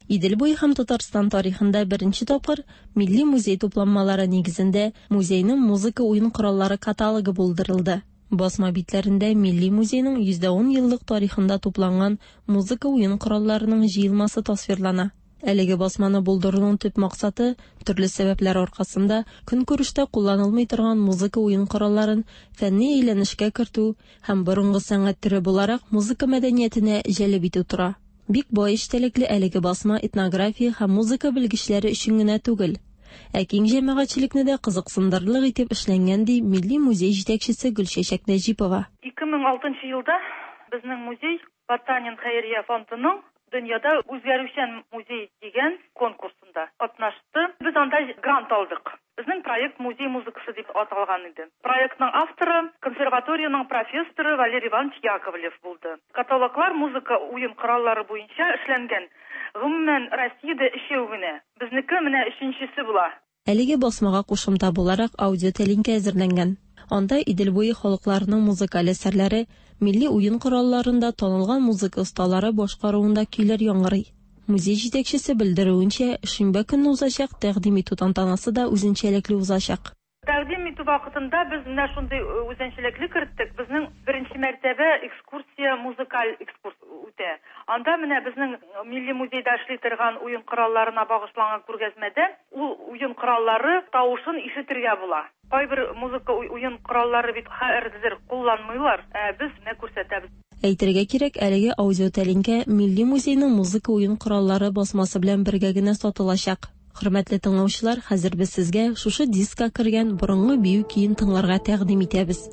Идел буе һәм Татарстан тарихында беренче тапкыр Милли музей тупланмалары нигезендә музейның музыка уен кораллары каталогы булдырылды. Басма битләрендә Милли музейның 110 еллык тарихында тупланган музыка уен коралларының җыелмасы тасвирлана. Әлеге басманы булдыруның төп максаты, төрле сәбәпләр аркасында көнкүрештә кулланылмый торган музыка уен коралларын фәнни әйләнешкә кертү һәм борынгы сәнгать төре буларак музыка мәдәниятенә җәлеп итү тора. Бик бай эчтәлекле әлеге басма этнография һәм музыка белгечләре өчен генә түгел, ә киң җәмәгатьчелекне дә кызыксындырырлык итеп эшләнгән, ди Милли музей җитәкчесе Гөлчәчәк Нәҗипова. 2006 елда безнең музей Потанин хәйрия фондының Дөньяда үзгәрүчән музей дигән конкурсында катнашты. Без анда грант алдык. Безнең проект Музей музыкасы дип аталган иде. Проектның авторы, консерваториянең профессоры Валерий Иванович Яковлев булды. Каталоглар музыка уен кораллары буенча эшләнгән. Гомумән, Россиядә өчәү генә. Безнеке менә өченчесе була. Әлеге басмага кушымта буларак аудиотәлинкә әзерләнгән. Анда Идел буе халыкларының музыкаль әсәрләре, милли уен коралларында танылган музыка осталары башкаруында көйләр яңгырый. Музей җитәкчесе белдерүенчә, шимбә көнне узачак тәкъдим итү тантанасы да үзенчәлекле узачак. Тәкъдим итү вакытында без менә шундый үзенчәлекле керттек, безнең беренче мәртәбә экскурсия музыкаль экскурс үтә. Анда менә безнең Милли музейда эшли торган уен коралларына багышланган күргәзмәдә ул уен кораллары тавышын ишетергә була. Кайбер музыка уен кораллары бит хәзер кулланмыйлар, ә без менә күрсәтәбез. Әйтергә кирәк, әлеге аудиотәлинкә Милли музейның музыка уен кораллары басмасы белән бергә генә сатылачак. Хөрмәтле тыңлаучылар, хәзер без сезгә шушы дискка кергән борынгы бию көен тыңларга тәкъдим итәбез.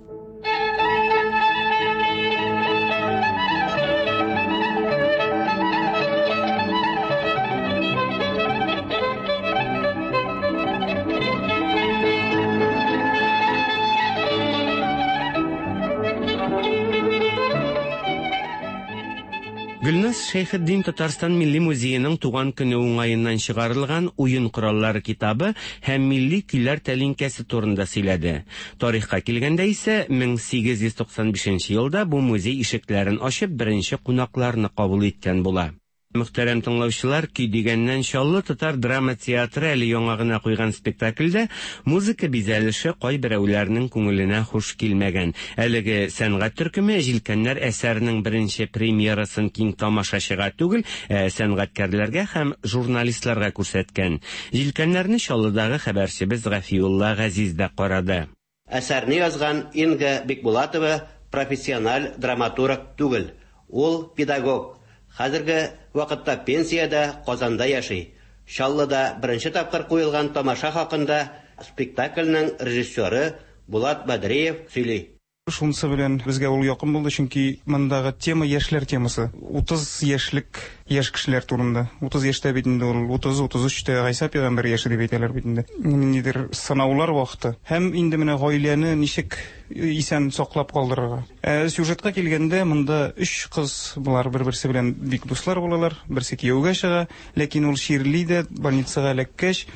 Гөлназ Шәйхетдин Татарстан Милли музееның туган көне уңаеннан чыгарылган Уен кораллары китабы һәм милли көйләр тәлинкәсе турында сөйләде. Тарихка килгәндә исә, 1895 елда бу музей ишекләрен ачып беренче кунакларны кабул иткән була. Мөхтәрәм тыңлаучылар, көй дигәннән Чаллы татар драма театры әле яңа гына куйган спектакльдә музыка бизәлеше кайберәүләрнең күңеленә хуш килмәгән. Әлеге сәнгать төркеме Җилкәннәр әсәренең беренче премьерасын киң тамашачыга түгел, ә сәнгатькәрләргә һәм журналистларга күрсәткән. Җилкәннәрне Чаллыдагы хәбәрчебез Гафиулла Газиз дә карады. Әсәрне язган Инга Бикбулатова профессиональ драматург түгел, ул педагог. Хәзерге вакытта пенсиядә, Казанда яши. Чаллыда беренче тапкыр куелган тамаша хакында спектакльнең режиссеры Булат Бәдриев сөйли. Шунысы белән безгә ул якын булды, чөнки мондагы тема яшьләр темасы. 30 яшьлек яшь кешеләр турында. 30 яшьтә бит инде ул, 30-33 тә Гайсә пәйгамбәр яше дип әйтәләр бит инде. Ниндидер сынаулар вакыты. Һәм инде менә гаиләне ничек исән саклап калдырырга. Ә сюжетка килгәндә, монда өч кыз, болар бер-берсе белән бик дуслар булалар. Берсе кияүгә чыга, ләкин ул чирли дә, больницага эләккәч,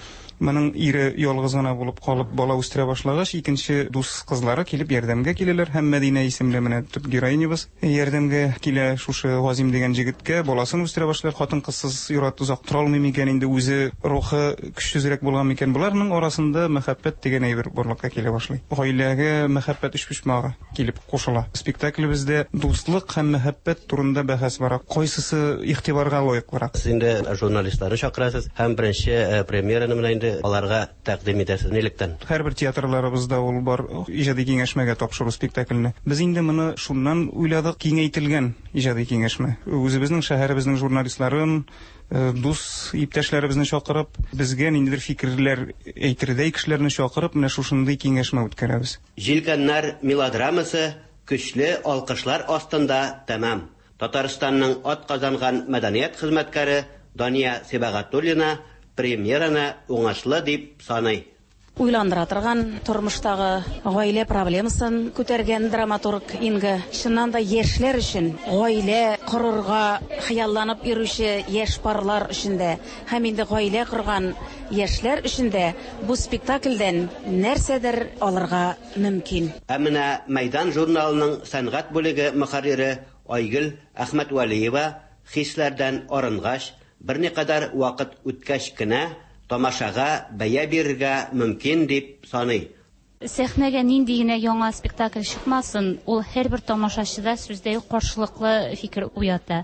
Моның ире ялгыз гына булып калып бала үстерә башлагач, икенче дус кызлары килеп ярдәмгә киләләр һәм Мәдинә исемле менә төп героинябыз ярдәмгә килә шушы Газим дигән җегеткә, баласын үстерә башлыйлар. Хатын-кызсыз ир-ат озак тора алмый микән инде, үзе рухы көчсезрәк булган микән? Боларның арасында мәхәббәт дигән әйбер барлыкка килә башлый. Гаиләгә мәхәббәт өчпочмагы килеп кушыла. Спектаклебездә дуслык һәм мәхәббәт турында бәхәс бара. Кайсысы игътибарга лаеклырак? Сез инде журналистларны чакырасыз һәм беренче премьераны менә инде аларга тәкъдим итәсез. Нилектән? Һәрбер театрларыбызда ул бар, иҗади киңәшмәгә тапшыру спектакльне. Без инде моны шуннан уйладык, киңәйтелгән иҗади киңәшмә. Үзебезнең шәһәребезнең журналистларын, дус иптәшләребезне чакырып, безгә ниндидер фикерләр әйтердәй кешеләрне чакырып, менә шушындый киңәшмә үткәрәбез. Җилкәннәр мелодрамасы көчле алкышлар астында тәмам. Татарстанның атказанган мәдәният хезмәткәре Дания Сибагатуллина премьераны уңышлы дип саный. Уйландыра торган, тормыштагы гаилә проблемасын күтәргән драматург Инга. Чыннан да яшьләр өчен, гаилә корырга хыялланып йөрүче яшь парлар өчен дә һәм инде гаилә корган яшьләр өчен дә бу спектакльдән нәрсәдер алырга мөмкин. Ә менә Мәйдан журналының сәнгать бүлеге мөхәррире Айгөл Әхмәтвәлиева хисләрдән арынгач, берникадәр вакыт үткәч кенә тамашага бәя бирергә мөмкин дип саный. Сәхнәгә нинди генә яңа спектакль чыкмасын, ул һәрбер тамашачыда сүздә юк каршылыклы фикер уята.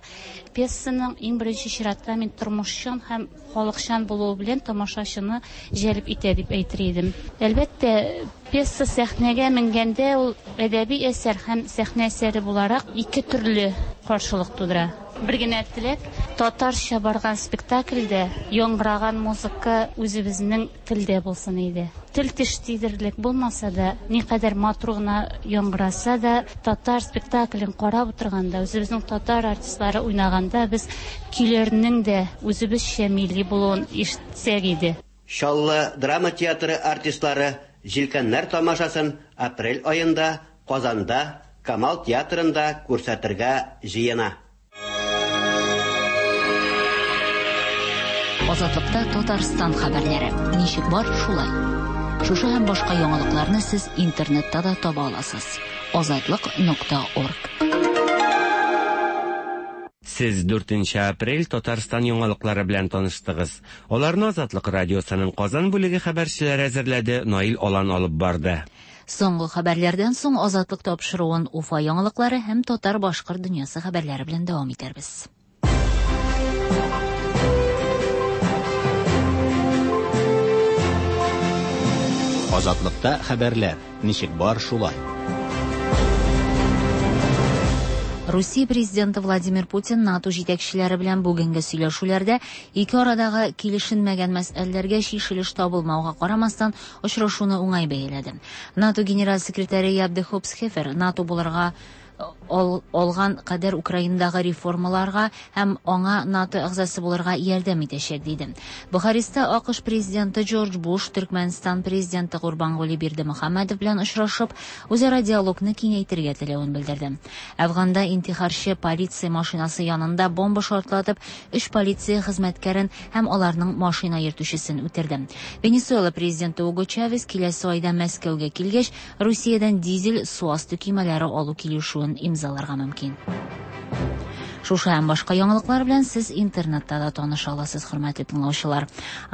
Пьесаның иң беренче чиратта мин тормышчан һәм халыкчан булуы белән тамашачыны җәлеп итә дип әйтер идем. Әлбәттә, пьеса сәхнәгә менгәндә ул әдәби әсәр һәм сәхнә әсәре буларак ике төрле каршылык тудыра. Бер генә теләк, татарча барган спектакльдә яңгыраган музыка үзебезнең телдә булсын иде. Тел-теш тидерерлек булмаса да, никадәр матур гына яңгыраса да, татар спектаклен карап утырганда, үзебезнең татар артистлары уйнаганда без көйләрнең дә үзебезчә милли булуын ишетсәк иде. Чаллы драма театры артистлары Җилкәннәр тамашасын апрель аенда Казанда Камал театрында күрсәтергә җыена. Азатлыкта Татарстан хәбәрләре. Ничек бар, шулай. Шушы һәм башка яңалыкларны сез интернетта да таба аласыз. Азатлык нокта орг. Сез 4 апрель Татарстан яңалыклары белән таныштыгыз. Аларны Азатлык радиосының Казан бүлеге хәбәрчеләре әзерләде, Наил Алан алып барды. Соңгы хәбәрләрдән соң Азатлык тапшыруын Уфа яңалыклары һәм татар-башкорт дөньясы хәбәрләре белән дәвам итәрбез. Азатлыкта хәбәрләр. Ничек бар, шулай. Русия президенты Владимир Путин НАТО җитәкчеләре белән бүгенге сөйләшүләрдә ике арадагы килешенмәгән мәсьәләләргә чишелеш табылмауга карамастан очрашуны уңай бәяләде. НАТО генераль секретаре Яб де Хопсхефер НАТО булырга алган кадәр Украинадагы реформаларга һәм аңа НАТО әгъзасы булырга ярдәм итәчәк, диде. Бухареста АКШ президенты Джордж Буш Төркмәнстан президенты Гурбангули Бердымөхәммәдов белән очрашып, үзара диалогны киңәйтергә теләвен белдерде. Әфганда интихарчы полиция машинасы янында бомба шартлатып, өч полиция хезмәткәрен һәм аларның машина йөртүчесен үтерде. Венесуэла президенты Уго Чавес киләсе айда Мәскәүгә килгәч, Русиядән дизель су асты көймәләре алу килешүен имзаларга мөмкин. Шушы һәм башка яңалыклар белән сез интернетта да таныша аласыз, хөрмәтле тыңлаучылар.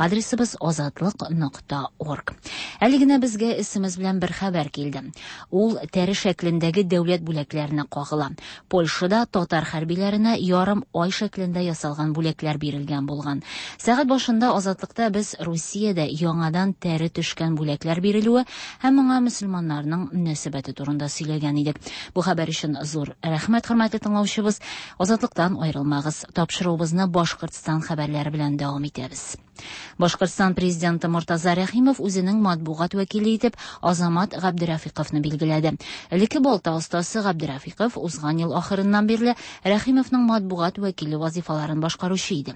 Адресыбыз азатлык нокта орг. Әле генә безгә SMS белән бер хәбәр килде. Ул тәре шәклендәге дәүләт бүләкләренә кагыла. Польшада татар хәрбиләренә ярым ай шәклендә ясалган бүләкләр бирелгән булган. Сәгать башында Азатлыкта без Русиядә яңадан тәре төшкән бүләкләр бирелүе һәм моңа мөселманнарның мөнәсәбәте турында сөйләгән идек. Бу хәбәр өчен зур рәхмәт, хөрмәтле тыңлаучыбыз. Азатлыктан аерылмагыз. Тапшыруыбызны Башкортстан хәбәрләре белән дәвам итәбез. Башкортстан президенты Мортаза Рәхимов үзенең матбугат вәкиле итеп Азамат Габдерафиковны билгеләде. Элекке балта остасы Габдерафиков узган ел ахырыннан бирле Рәхимовның матбугат вәкиле вазифаларын башкаручы иде.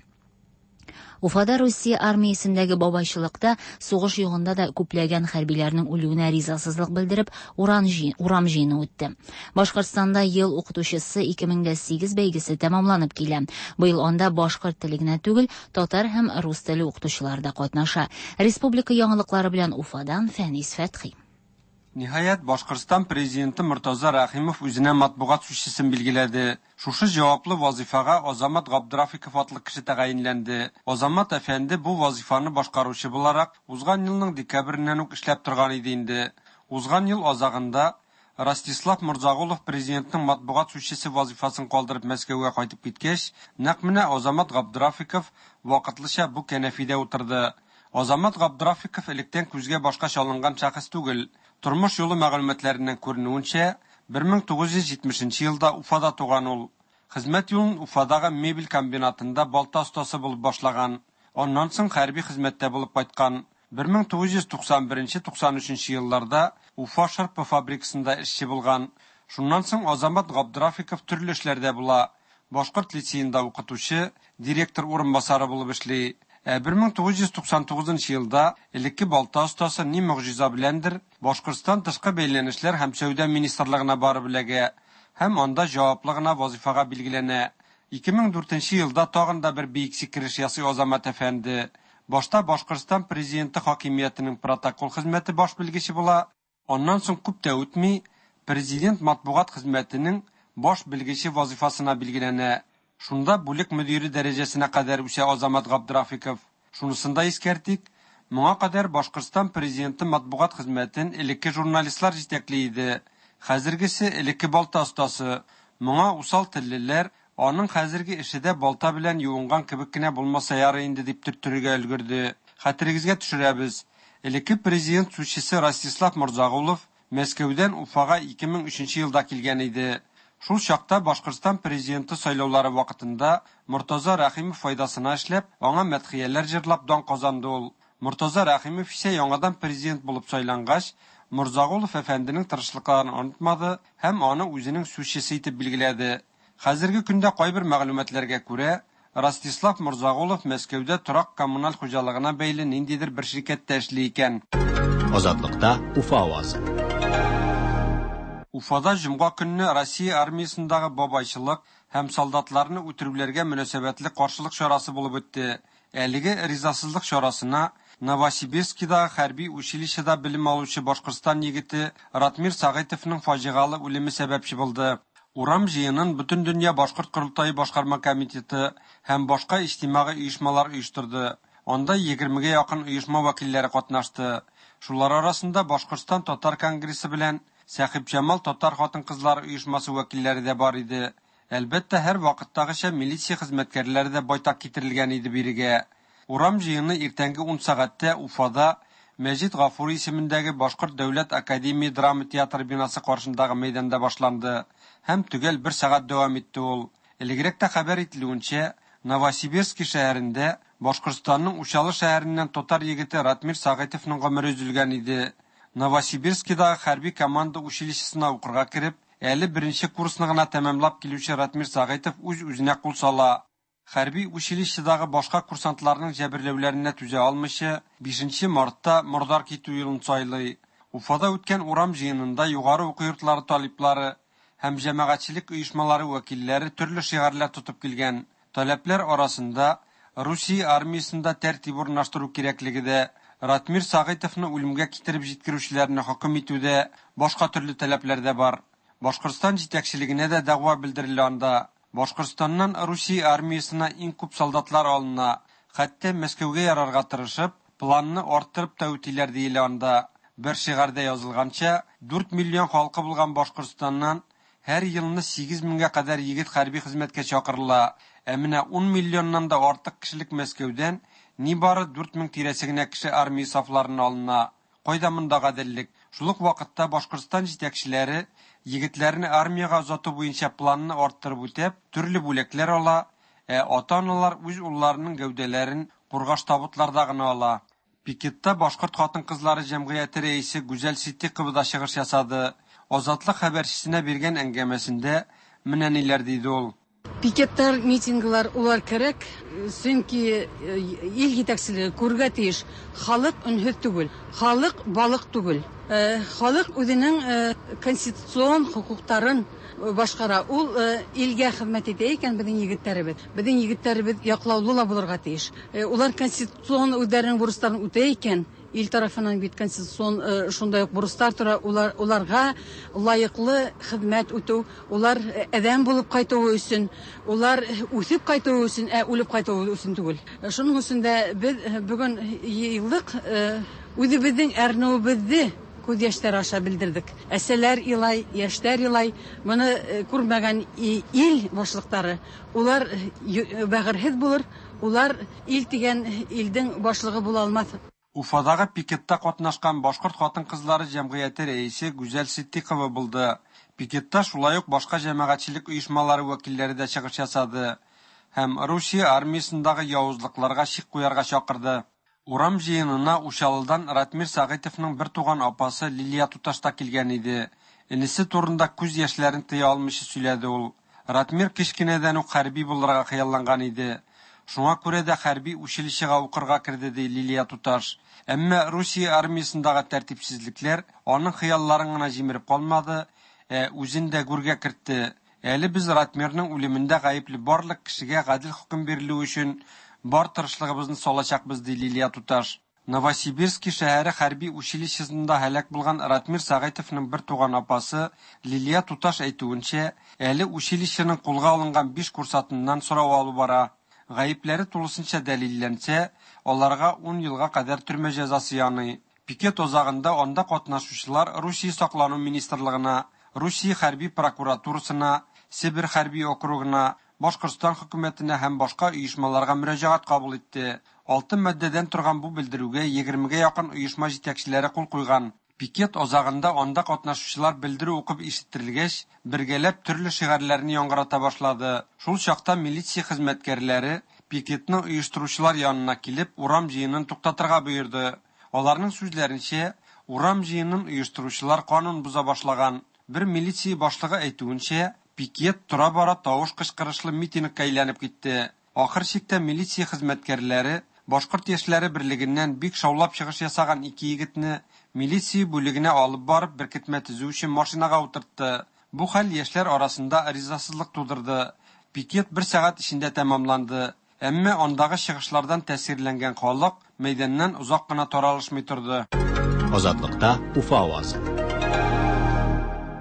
Уфада Русия армиясендәге бабайчылыкта сугыш югында да күпләгән хәрбиләрнең үлүенә ризасызлык белдереп, уран урам җыены үтте. Башкортстанда Ел укытучысы 2008 бәйгесе тәмамланып килә. Быел анда башкорт теле генә түгел, татар һәм рус теле укытучылары да катнаша. Республика яңалыклары белән Уфадан Фәнис Фәтхи. Ниһаять, Башкортстан президенты Мортаза Рәхимов үзенә матбугат сүзчесен билгеләде. Шушы җаваплы вазыйфага Азамат Габдрафиков атлы кеше тәгаенләнде. Азамат әфәнде бу вазыйфаны башкаручы буларак узган елның декабреннән үк эшләп торган иде инде. Узган ел азагында Ростислав Морзагулов президентның матбугат сүзчесе вазыйфасын калдырып Мәскәүгә кайтып киткәч, нәкъ менә Азамат Габдрафиков вакытлыча бу кәнәфидә утырды. Азамат Габдрафиков электән күзгә-башка чалынган шәхес түгел. Тормыш юлы мәгълүматларыннан күренүенчә, 1970 нче елда Уфада туган ул. Хезмәт юлын Уфадагы мебель комбинатында балта остасы булып башлаган. Аннан соң хәрби хезмәттә булып кайткан. 1991-93 елларда Уфа шырпы фабрикасында эшче булган. Шуннан соң Азамат Габдрафиков төрле эшләрдә була. Башкорт лицеенда укытучы, директор урынбасары булып эшли. Ә 1999 нчы елда элекке балта остасы ни могҗиза беләндер Башкортстан тышкы бәйләнешләр һәм сәүдә министрлыгына барып эләгә һәм анда җаваплы гына вазыйфага билгеләнә. 2004 нче елда тагын да бер биек сикереш ясый Азамат әфәнде. Башта Башкортстан Президенты хакимиятенең протокол хезмәте баш белгече була, Аннан соң күп тә үтми, Президент матбугат хезмәтенең баш белгече вазыйфасына билгеләнә. Шунда бүлек мөдире дәрәҗәсенә кадәр үсә Азамат Габдрафиков. Шунысын да искәртик, моңа кадәр Башкортстан Президенты матбугат хезмәтен элекке журналистлар җитәкли иде. Хәзергесе, элекке балта остасы. Моңа усал теллеләр, аның хәзерге эше дә балта белән юынган кебек кенә булмаса ярый инде, дип төрттерергә өлгерде. Хәтерегезгә төшерәбез, элекке президент сүзчесе Ростислав Морзагулов Мәскәүдән Уфага 2003 нче елда килгән иде. Шул чакта Башкортстан президенты сайлаулары вакытында Мортаза Рәхимов файдасына эшләп, аңа мәдхияләр җырлап дан казанды ул. Мортаза Рәхимов исә яңадан президент булып сайлангач, Морзагулов әфәнденең тырышлыкларын онытмады һәм аны үзенең сүзчесе итеп билгеләде. Хәзерге көндә кайбер мәгълүматларга күрә, Ростислав Морзагулов Мәскәүдә торак-коммуналь хуҗалыгына бәйле ниндидер бер ширкәттә эшли икән. Азатлыкта Уфа авазы. Уфада җомга көнне Россия армиясендагы бабайчылык һәм солдатларны үтерүләргә мөнәсәбәтле каршылык чарасы булып үтте. Әлеге ризасызлык чарасына Новосибирскидагы хәрби училищеда белем алучы Башкортстан егете Ратмир Сәгыйтовның фаҗигалы үлеме сәбәпче булды. Урам җыенын Бөтендөнья башкорт корылтае башкарма комитеты һәм башка иҗтимагый оешмалар оештырды. Анда егермегә якын оешма вәкилләре катнашты. Шулар арасында Башкортстан татар конгрессы белән Сәхипҗамал татар хатын-кызлары оешмасы вәкилләре дә бар иде. Әлбәттә, һәрвакыттагыча милиция хезмәткәрләре дә байтак китерелгән иде бирегә. Урам җыены иртәнге ун сәгатьтә Уфада Мәҗит Гафури исемендәге Башкорт дәүләт академия драма театры бинасы каршындагы мәйданда башланды һәм төгәл бер сәгать дәвам итте ул. Элегрәк тә хәбәр ителүенчә, Новосибирски шәһәрендә Башкортстанның Учалы шәһәреннән татар егете Ратмир Сәгыйтовның гомере өзелгән иде. Новосибирскидагы хәрби команда училищесына укырга кереп, әле беренче курсны гына тәмамлап килүче Ратмир Сәгыйтов үз-үзенә кул сала. Хәрби училищедагы башка курсантларның җәберләүләренә түзә алмыйча, бишенче мартта мордар китү юлын сайлый. Уфада үткән урам җыенында югары уку йортлары талиплары һәм җәмәгатьчелек оешмалары вәкилләре төрле шигарьләр тотып килгән. Таләпләр арасында Русия армиясендә тәртип урнаштыру кирәклеге дә, Ратмир Сәгыйтовны үлемгә китереп җиткерүчеләрне хөкем итү дә, башка төрле таләпләр дә бар. Башкортстан җитәкчелегенә дә дәгъва белдерелә анда. Башкортстаннан Русия армиясенә иң күп солдатлар алына. Хәтта Мәскәүгә ярарга тырышып, планны арттырып та үтиләр диелә анда. Бер шигарьдә язылганча, дүрт миллион халкы булган Башкортстаннан һәр елны сигез меңгә кадәр егет хәрби хезмәткә чакырыла. Ә менә ун миллионнан да артык кешелек Мәскәүдән нибары 4000 тирәсе генә кеше армия сафларына алына. Кайда монда гаделлек? Шул ук вакытта Башкортстан җитәкчеләре егетләрне армиягә озату буенча планны арттырып үтәп, төрле бүләкләр ала, ә ата-аналар үз улларының гәүдәләрен кургаш табутларда гына ала. Пикетта Башкорт хатын-кызлары җәмгыяте рәисе Гүзәл Ситдикова да чыгыш ясады. Азатлык хәбәрчесенә биргән әңгәмәсендә менә ниләр диде ул. Пикетлар, митинглар улар кирәк, чөнки ил җитәкчелеге күрергә тиеш, халык өнһез түгел, халык балык түгел. Халык үзенең конституцион хокуктарын башкара. Ул илгә хезмәт итә икән безнең егетләребез. Безнең егетләребез яклаулы ла булырга тиеш. Улар конституцион үзләренең бурычларын үтә икән, ил тарафыннан бит конституцион шундай ук бурычлар тора, улар, уларга лаеклы хезмәт үтү, улар адәм булып кайтуы өчен, улар үсеп кайтуы өчен, ә үлеп кайтуы өчен түгел. Шуның өчен дә без бүген еллык үзебезнең әрнүебезне күз яшьләре аша белдердек. Әсәләр илай, яшьләр илай, моны күрмәгән ил башлыклары, улар бәгырьһез булыр, улар ил дигән илдең башлыгы була алмас. Уфадагы пикетта катнашкан башкорт хатын-кызлары җәмгыяте рәисе Гүзәл Ситдикова булды. Пикетта шулай ук башка җәмәгатьчелек оешмалары вәкилләре дә чыгыш ясады һәм Русия армиясендагы явызлыкларга чик куярга чакырды. Урам җыенына Учалыдан Ратмир Сәгыйтовның бертуган апасы Лилия туташ та килгән иде. Энесе турында күз яшьләрен тыя алмыйча сөйләде ул. Ратмир кечкенәдән үк хәрби булырга хыялланган иде. Шуңа күрә дә хәрби училищега укырга керде, ди Лилия туташ. Әмма Русия армиясендагы тәртипсезлекләр аның хыялларын гына җимереп калмады, ә үзен дә гүргә кертте. Әле без Ратмирның үлемендә гаепле барлык кешегә гадел хөкем бирелүе өчен бар тырышлыгыбызны салачакбыз, ди Лилия туташ. Новосибирски шәһәре хәрби училищесында һәлак булган Ратмир Сәгыйтовның бертуган апасы Лилия туташ әйтүенчә, әле училищеның кулга алынган биш курсантыннан сорау алу бара. Гаепләре тулысынча дәлилләнсә, аларга ун елга кадәр төрмә җәзасы яный. Пикет азагында анда катнашучылар Русия саклану министрлыгына, Русия хәрби прокуратурасына, Себер хәрби округына, Башкортстан хөкүмәтенә һәм башка оешмаларга мөрәҗәгать кабул итте. Алты маддәдән торган бу белдерүгә егермегә якын оешма җитәкчеләре кул куйган. Пикет азагында анда катнашучылар белдерү укып ишеттерелгәч, бергәләп төрле шигарьләрне яңгырата башлады. Шул чакта милиция хезмәткәрләре пикетны оештыручылар янына килеп, урам җыенын туктатырга боерды. Аларның сүзләренчә, урам җыенын оештыручылар канун боза башлаган. Бер милиция башлыгы әйтүенчә, пикет тора-бара тавыш кычкырышлы митингка әйләнеп китте. Ахыр чиктә милиция хезмәткәрләре Башкорт яшьләре берлегеннән бик шаулап чыгыш ясаган ике егетне милиция бүлегенә алып барып беркетмә төзү өчен машинага утыртты. Бу хәл яшьләр арасында ризасызлык тудырды. Пикет бер сәгать эчендә тәмамланды. Әмма андагы чыгышлардан тәэсирләнгән халык мәйданнан озак кына таралышмый торды. Азатлыкта Уфа авазы.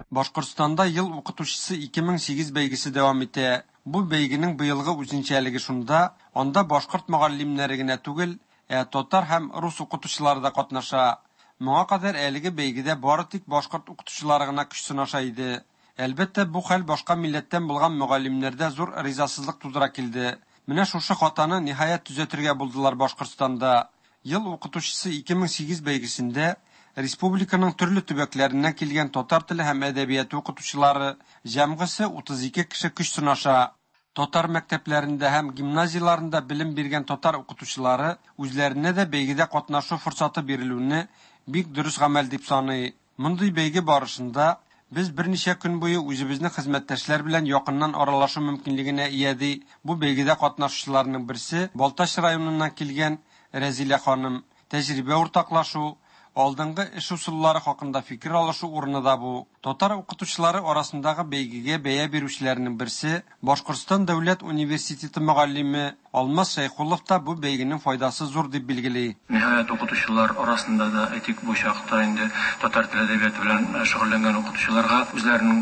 Башкортстанда Ел укытучысы 2008 бәйгесе дәвам итә. Бу бәйгенең быелгы үзенчәлеге шунда, анда башкорт мөгаллимнәре генә түгел, ә татар һәм рус укытучылары да катнаша. Моңа кадәр әлеге бәйгедә бары тик башкорт укытучылары гына көч сынаша иде. Әлбәттә, бу хәл башка милләттән булган мөгаллимнәрдә зур ризасызлык тудыра килде. Менә шушы хатаны, ниһаять, төзәтергә булдылар Башкортстанда. Ел укытучысы 2008 бәйгесендә республиканың төрле төбәкләреннән килгән татар теле һәм әдәбияты укытучылары, җәмгысе 32 кеше көч сынаша. Татар мәктәпләрендә һәм гимназияләрендә белем биргән татар укытучылары үзләренә дә бәйгедә катнашу форсаты бирелүне бик дөрес гамәл дип саный. Мондый бәйге барышында без берничә көн буе үзебезнең хезмәттәшләр белән якыннан аралашу мөмкинлегенә ия, ди бу бәйгедә катнашучыларның берсе, Балтач районыннан килгән Рәзилә ханым. Тәҗрибә уртаклашу, алдынгы эш ысуллары хакында фикер алышу урыны да бу. Татар укытучылары арасындагы бәйгегә бәя бирүчеләрнең берсе, Башкортстан дәүләт университеты мөгаллиме Алмаз Шәйхуллов та бу бәйгенең файдасы зур дип билгели. Ниһаять, укытучылар арасында да, әйтик, бу чакта инде татар теле әдәбияты белән шөгыльләнгән укытучыларга үзләренең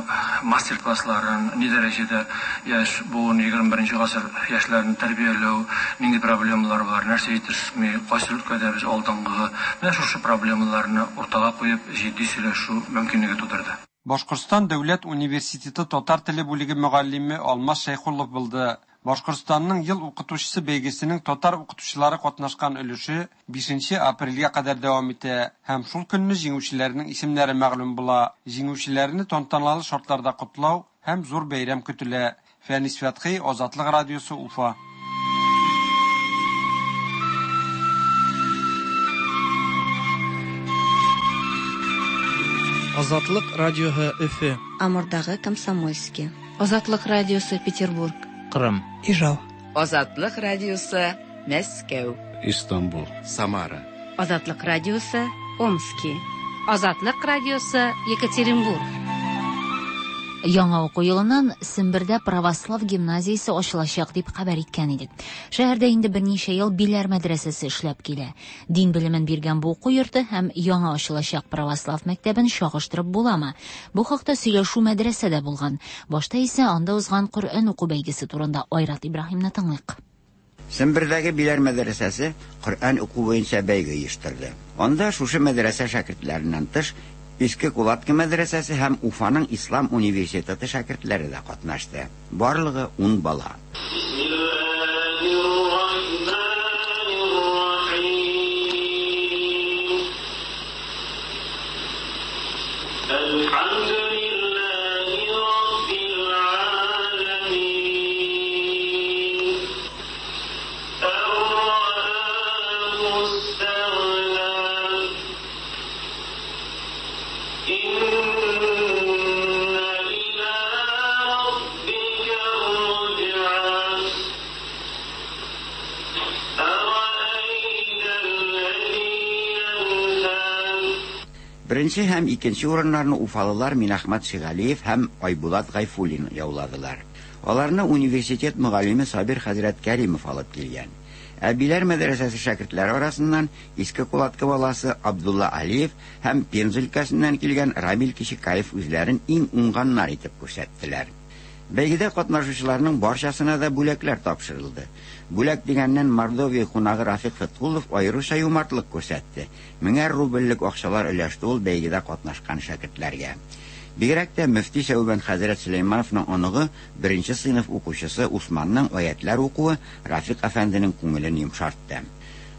мастер-классларын, ни дәрәҗәдә яшь буын, 21 гасыр яшьләрен тәрбияләү, нинди проблемалар бар, нәрсә җитешми, кайсы өлкәдә без алдынгы, менә шушы проблемаларны уртага куеп, җитди сөйләшү мөмкинлеге тудырды. Башкортстан дәүләт университеты татар теле бүлеге мөгаллиме Алмаз Шәйхуллов булды. Башкортстанның ел укытучысы бәйгесенең татар укытучылары катнашкан өлеше 5 апрельгә кадәр дәвам итә һәм шул көнне җиңүчеләрнең исемнәре мәгълүм була. Җиңүчеләрне тантаналы шартларда котлау һәм зур бәйрәм көтелә. Фәнис Фәтхи, Азатлык радиосы, Уфа. Азатлык радиоһы Өфе. Амурдагы Комсомольски. Азатлык радиосы Петербург. Кырым. Ижау. Азатлык радиосы Мәскәү. Истанбул. Самара. Азатлык радиосы Омски. Азатлык радиосы Екатеринбург. Яңа уку елыннан Сембердә православ гимназиясе ачылачак дип хәбәр иткән идек. Шәһәрдә инде берничә ел Биләр мәдрәсәсе эшләп килә. Дин белемен биргән бу уку йорты һәм яңа ачылачак православ мәктәбен чагыштырып буламы? Бу хакта сөйләшү мәдрәсәдә булган. Башта исә анда узган Коръән уку бәйгесе турында Айрат Ибраһимны тыңлыйк. Сембердәге Биләр мәдрәсәсе Коръән уку буенча бәйге оештырды. Анда шушы мәдрәсә шәкертләреннән тыш Иске Кулатка мәдрәсәсе һәм Уфаның Ислам университеты шәкертләре дә катнашты. Барлыгы 10 бала. Беренче һәм икенче урыннарны уфалылар Минәхмәт Шигалиев һәм Айбулат Гайфуллин яуладылар. Аларны университет мөгаллиме Сабир хәзрәт Кәримов алып килгән. Ә Биләр мәдрәсәсе шәкертләре арасыннан Иске Кулатка баласы Абдулла Алиев һәм Пенза өлкәсеннән килгән Рамил Кичекаев үзләрен иң уңганнар итеп күрсәттеләр. Бәйгедә катнашучыларның барчасына да бүләкләр тапшырылды. Бүләк дигәннән Мордовия кунагы Рафик Фәткулов аеруча юмартлык күрсәтте. Меңәр рубльлек акчалар өләште ул бәйгедә катнашкан шәкертләргә. Бигрәк тә мөфти Сәүбән хәзрәт Сөләймановның оныгы, беренче сыйныф укучысы Усманның аятлар укуы Рафик әфәнденең күңелен йомшартты.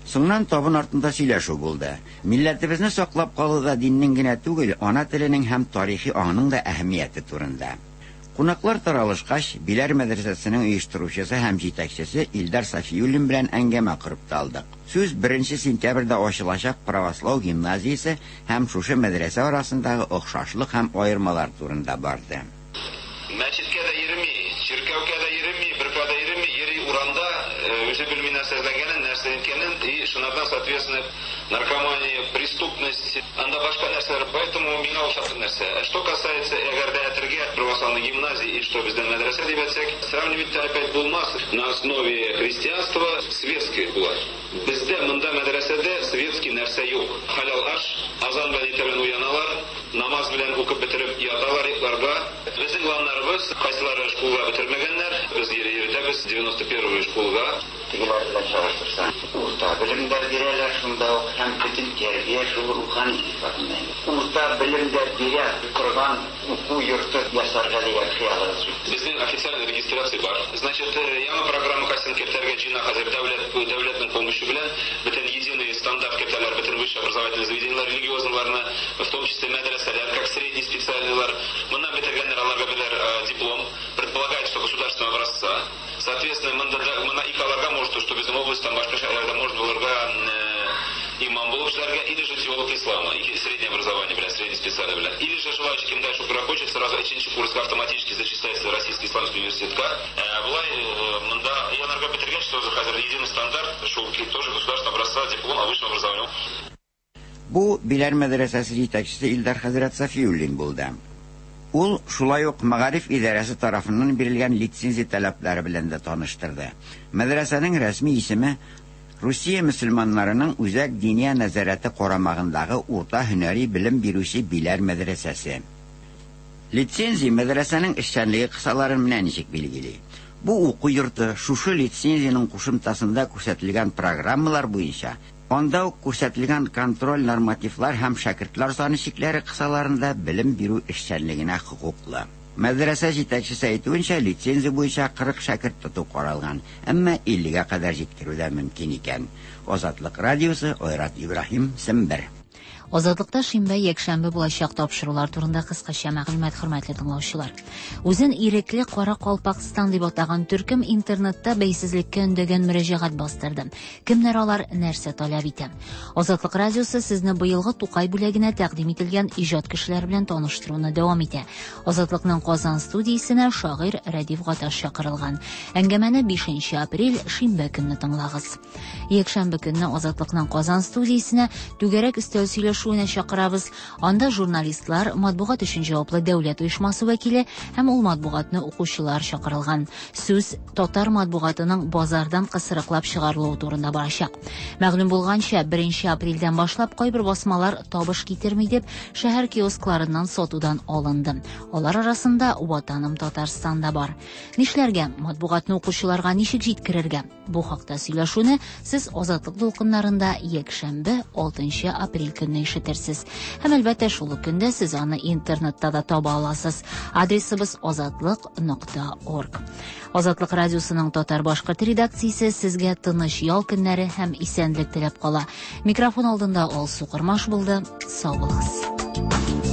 Соңыннан табын артында сөйләшү булды. Милләтебезне саклап калуда диннең генә түгел, ана теленең һәм тарихи аңның да әһәмияте турында. Кунаклар таралышкач, Биләр мәдрәсәсенең оештыручысы һәм җитәкчесе Илдар Сафиуллин белән әңгәмә корып та алдык. Сүз 1 сентябрьдә ачылачак православ гимназиясе һәм шушы мәдрәсә арасындагы охшашлык һәм аермалар турында барды. Мәчеткә дә йөрми, чиркәүгә дә йөрми, беркая да йөрми, йөри урамда, үзе белми нәрсә эзләгәнен, нәрсә иткәнен, и шунардан, соответственно, наркомания, преступность, анда башка нәрсәләр, поэтому миңа ошатыр нәрсә. Что касается әгәр дә әтергә православной гимназии и что бездә мәдрәсә дип әйтсәк, сравнивать опять булмас. На основе христианства светский була. Бездә монда мәдрәсәдә светский нәрсә юк. Халял аш, азан белән иртә белән уяналар, намаз белән укып бетереп яталар йокларга. Безнең планнарыбыз, кайсылары школга бетермәгәннәр, без йөртәбез 91 школга. Тегеләр белән чагыштырсаң, урта белем дә бирәләр шунда ук һәм бөтен тәрбия шул рухани сыйфатында. Урта белем дә бирә торган уку йорты ясарга дигән хыялыгыз юк. Безнең официальный регистрация бар. Значит, яңа программа кайсын кертәргә җыена хәзер дәүләт дәүләтнең помощью белән бөтен единый стандарт кертәләр бөтен высшее образовательное заведениеләр религиозныйларны, в том числе мәдрәсәләр, как средний специальныйлар. Моннан бетергәннәр аларга бирәләр диплом, предполагает, что государственного образца. Соответственно, монда мона ике аларга может, что безнең областьтан башка шәһәрләрдә может булырга имам булып эшләргә, или же теолог ислама, или среднее образование белән, среднее специальное белән. Или же желающий, кем дальше укырга хочет, сразу өченче курска автоматически зачисляется в Российский исламский университетка. Болай монда янарга бетергәч, тоже хәзер единый стандарт, шул тоже государственного образца диплом о высшем образовании. Бу Биләр мәдрәсәсе җитәкчесе Илдар хәзрәт Сафиуллин булды. Ул шулай ук мәгариф идарәсе тарафыннан бирелгән лицензия таләпләре белән дә таныштырды. Мәдрәсәнең рәсми исеме Русия мөселманнарының үзәк диния нәзарәте карамагындагы урта һөнәри белем бирүче Биләр мәдрәсәсе. Лицензия мәдрәсәнең эшчәнлеге кысаларын менә ничек билгели. Бу уку йорты шушы лицензиянең кушымтасында күрсәтелгән программалар буенча анда ук күрсәтелгән контроль нормативлар һәм шәкертләр саны чикләре кысаларында белем бирү эшчәнлегенә хокуклы. Мәдрәсә җитәкчесе әйтүенчә, лицензия буенча 40 шәкерт тоту каралган, әмма 50гә кадәр җиткерү дә мөмкин икән. Азатлык радиосы, Айрат Ибраһим, Сембер. Азатлыкта шимбә, якшәмбе булачак тапшырулар турында кыскача мәгълүмат, хөрмәтле тыңлаучылар. Үзен ирекле Кара Калпакстан дип атаган төркем интернетта бәйсезлеккә өндәгән мөрәҗәгать бастырды. Кемнәр алар, нәрсә таләп итә? Азатлык радиосы сезне быелгы Тукай бүләгенә тәкъдим ителгән иҗат кешеләре белән таныштыруны дәвам итә. Азатлыкның Казан студиясенә шагыйрь Рәдиф Гаташ чакырылган. Әңгәмәне 5 апрель шимбә көнне тыңлагыз. Якшәмбе көнне Азатлыкның Казан студиясенә түгәрәк өстәл сөйләшүенә чакырабыз. Анда журналистлар, матбугат өчен җаваплы дәүләт оешмасы вәкиле һәм ул матбугатны укучылар чакырылган. Сүз татар матбугатының базардан кысрыклап чыгарылуы турында барачак. Мәгълүм булганча, 1 апрельдән башлап кайбер басмалар табыш китерми дип, шәһәр киоскларыннан сатудан алынды. Алар арасында Ватаным Татарстан да бар. Нишләргә? Матбугатны укучыларга ничек җиткерергә? Бу хакта сөйләшүне сез Азатлык дулкыннарында якшәмбе, 6 апрель көнне ишетерсез. Һәм әлбәттә шул ук көндә сез аны интернетта да таба аласыз. Адресыбыз азатлык.орг. Азатлык радиосының татар-башкорт редакциясе сезгә тыныч ял көннәре һәм исәнлек теләп кала. Микрофон алдында Алсу Кормаш булды. Сау булыгыз.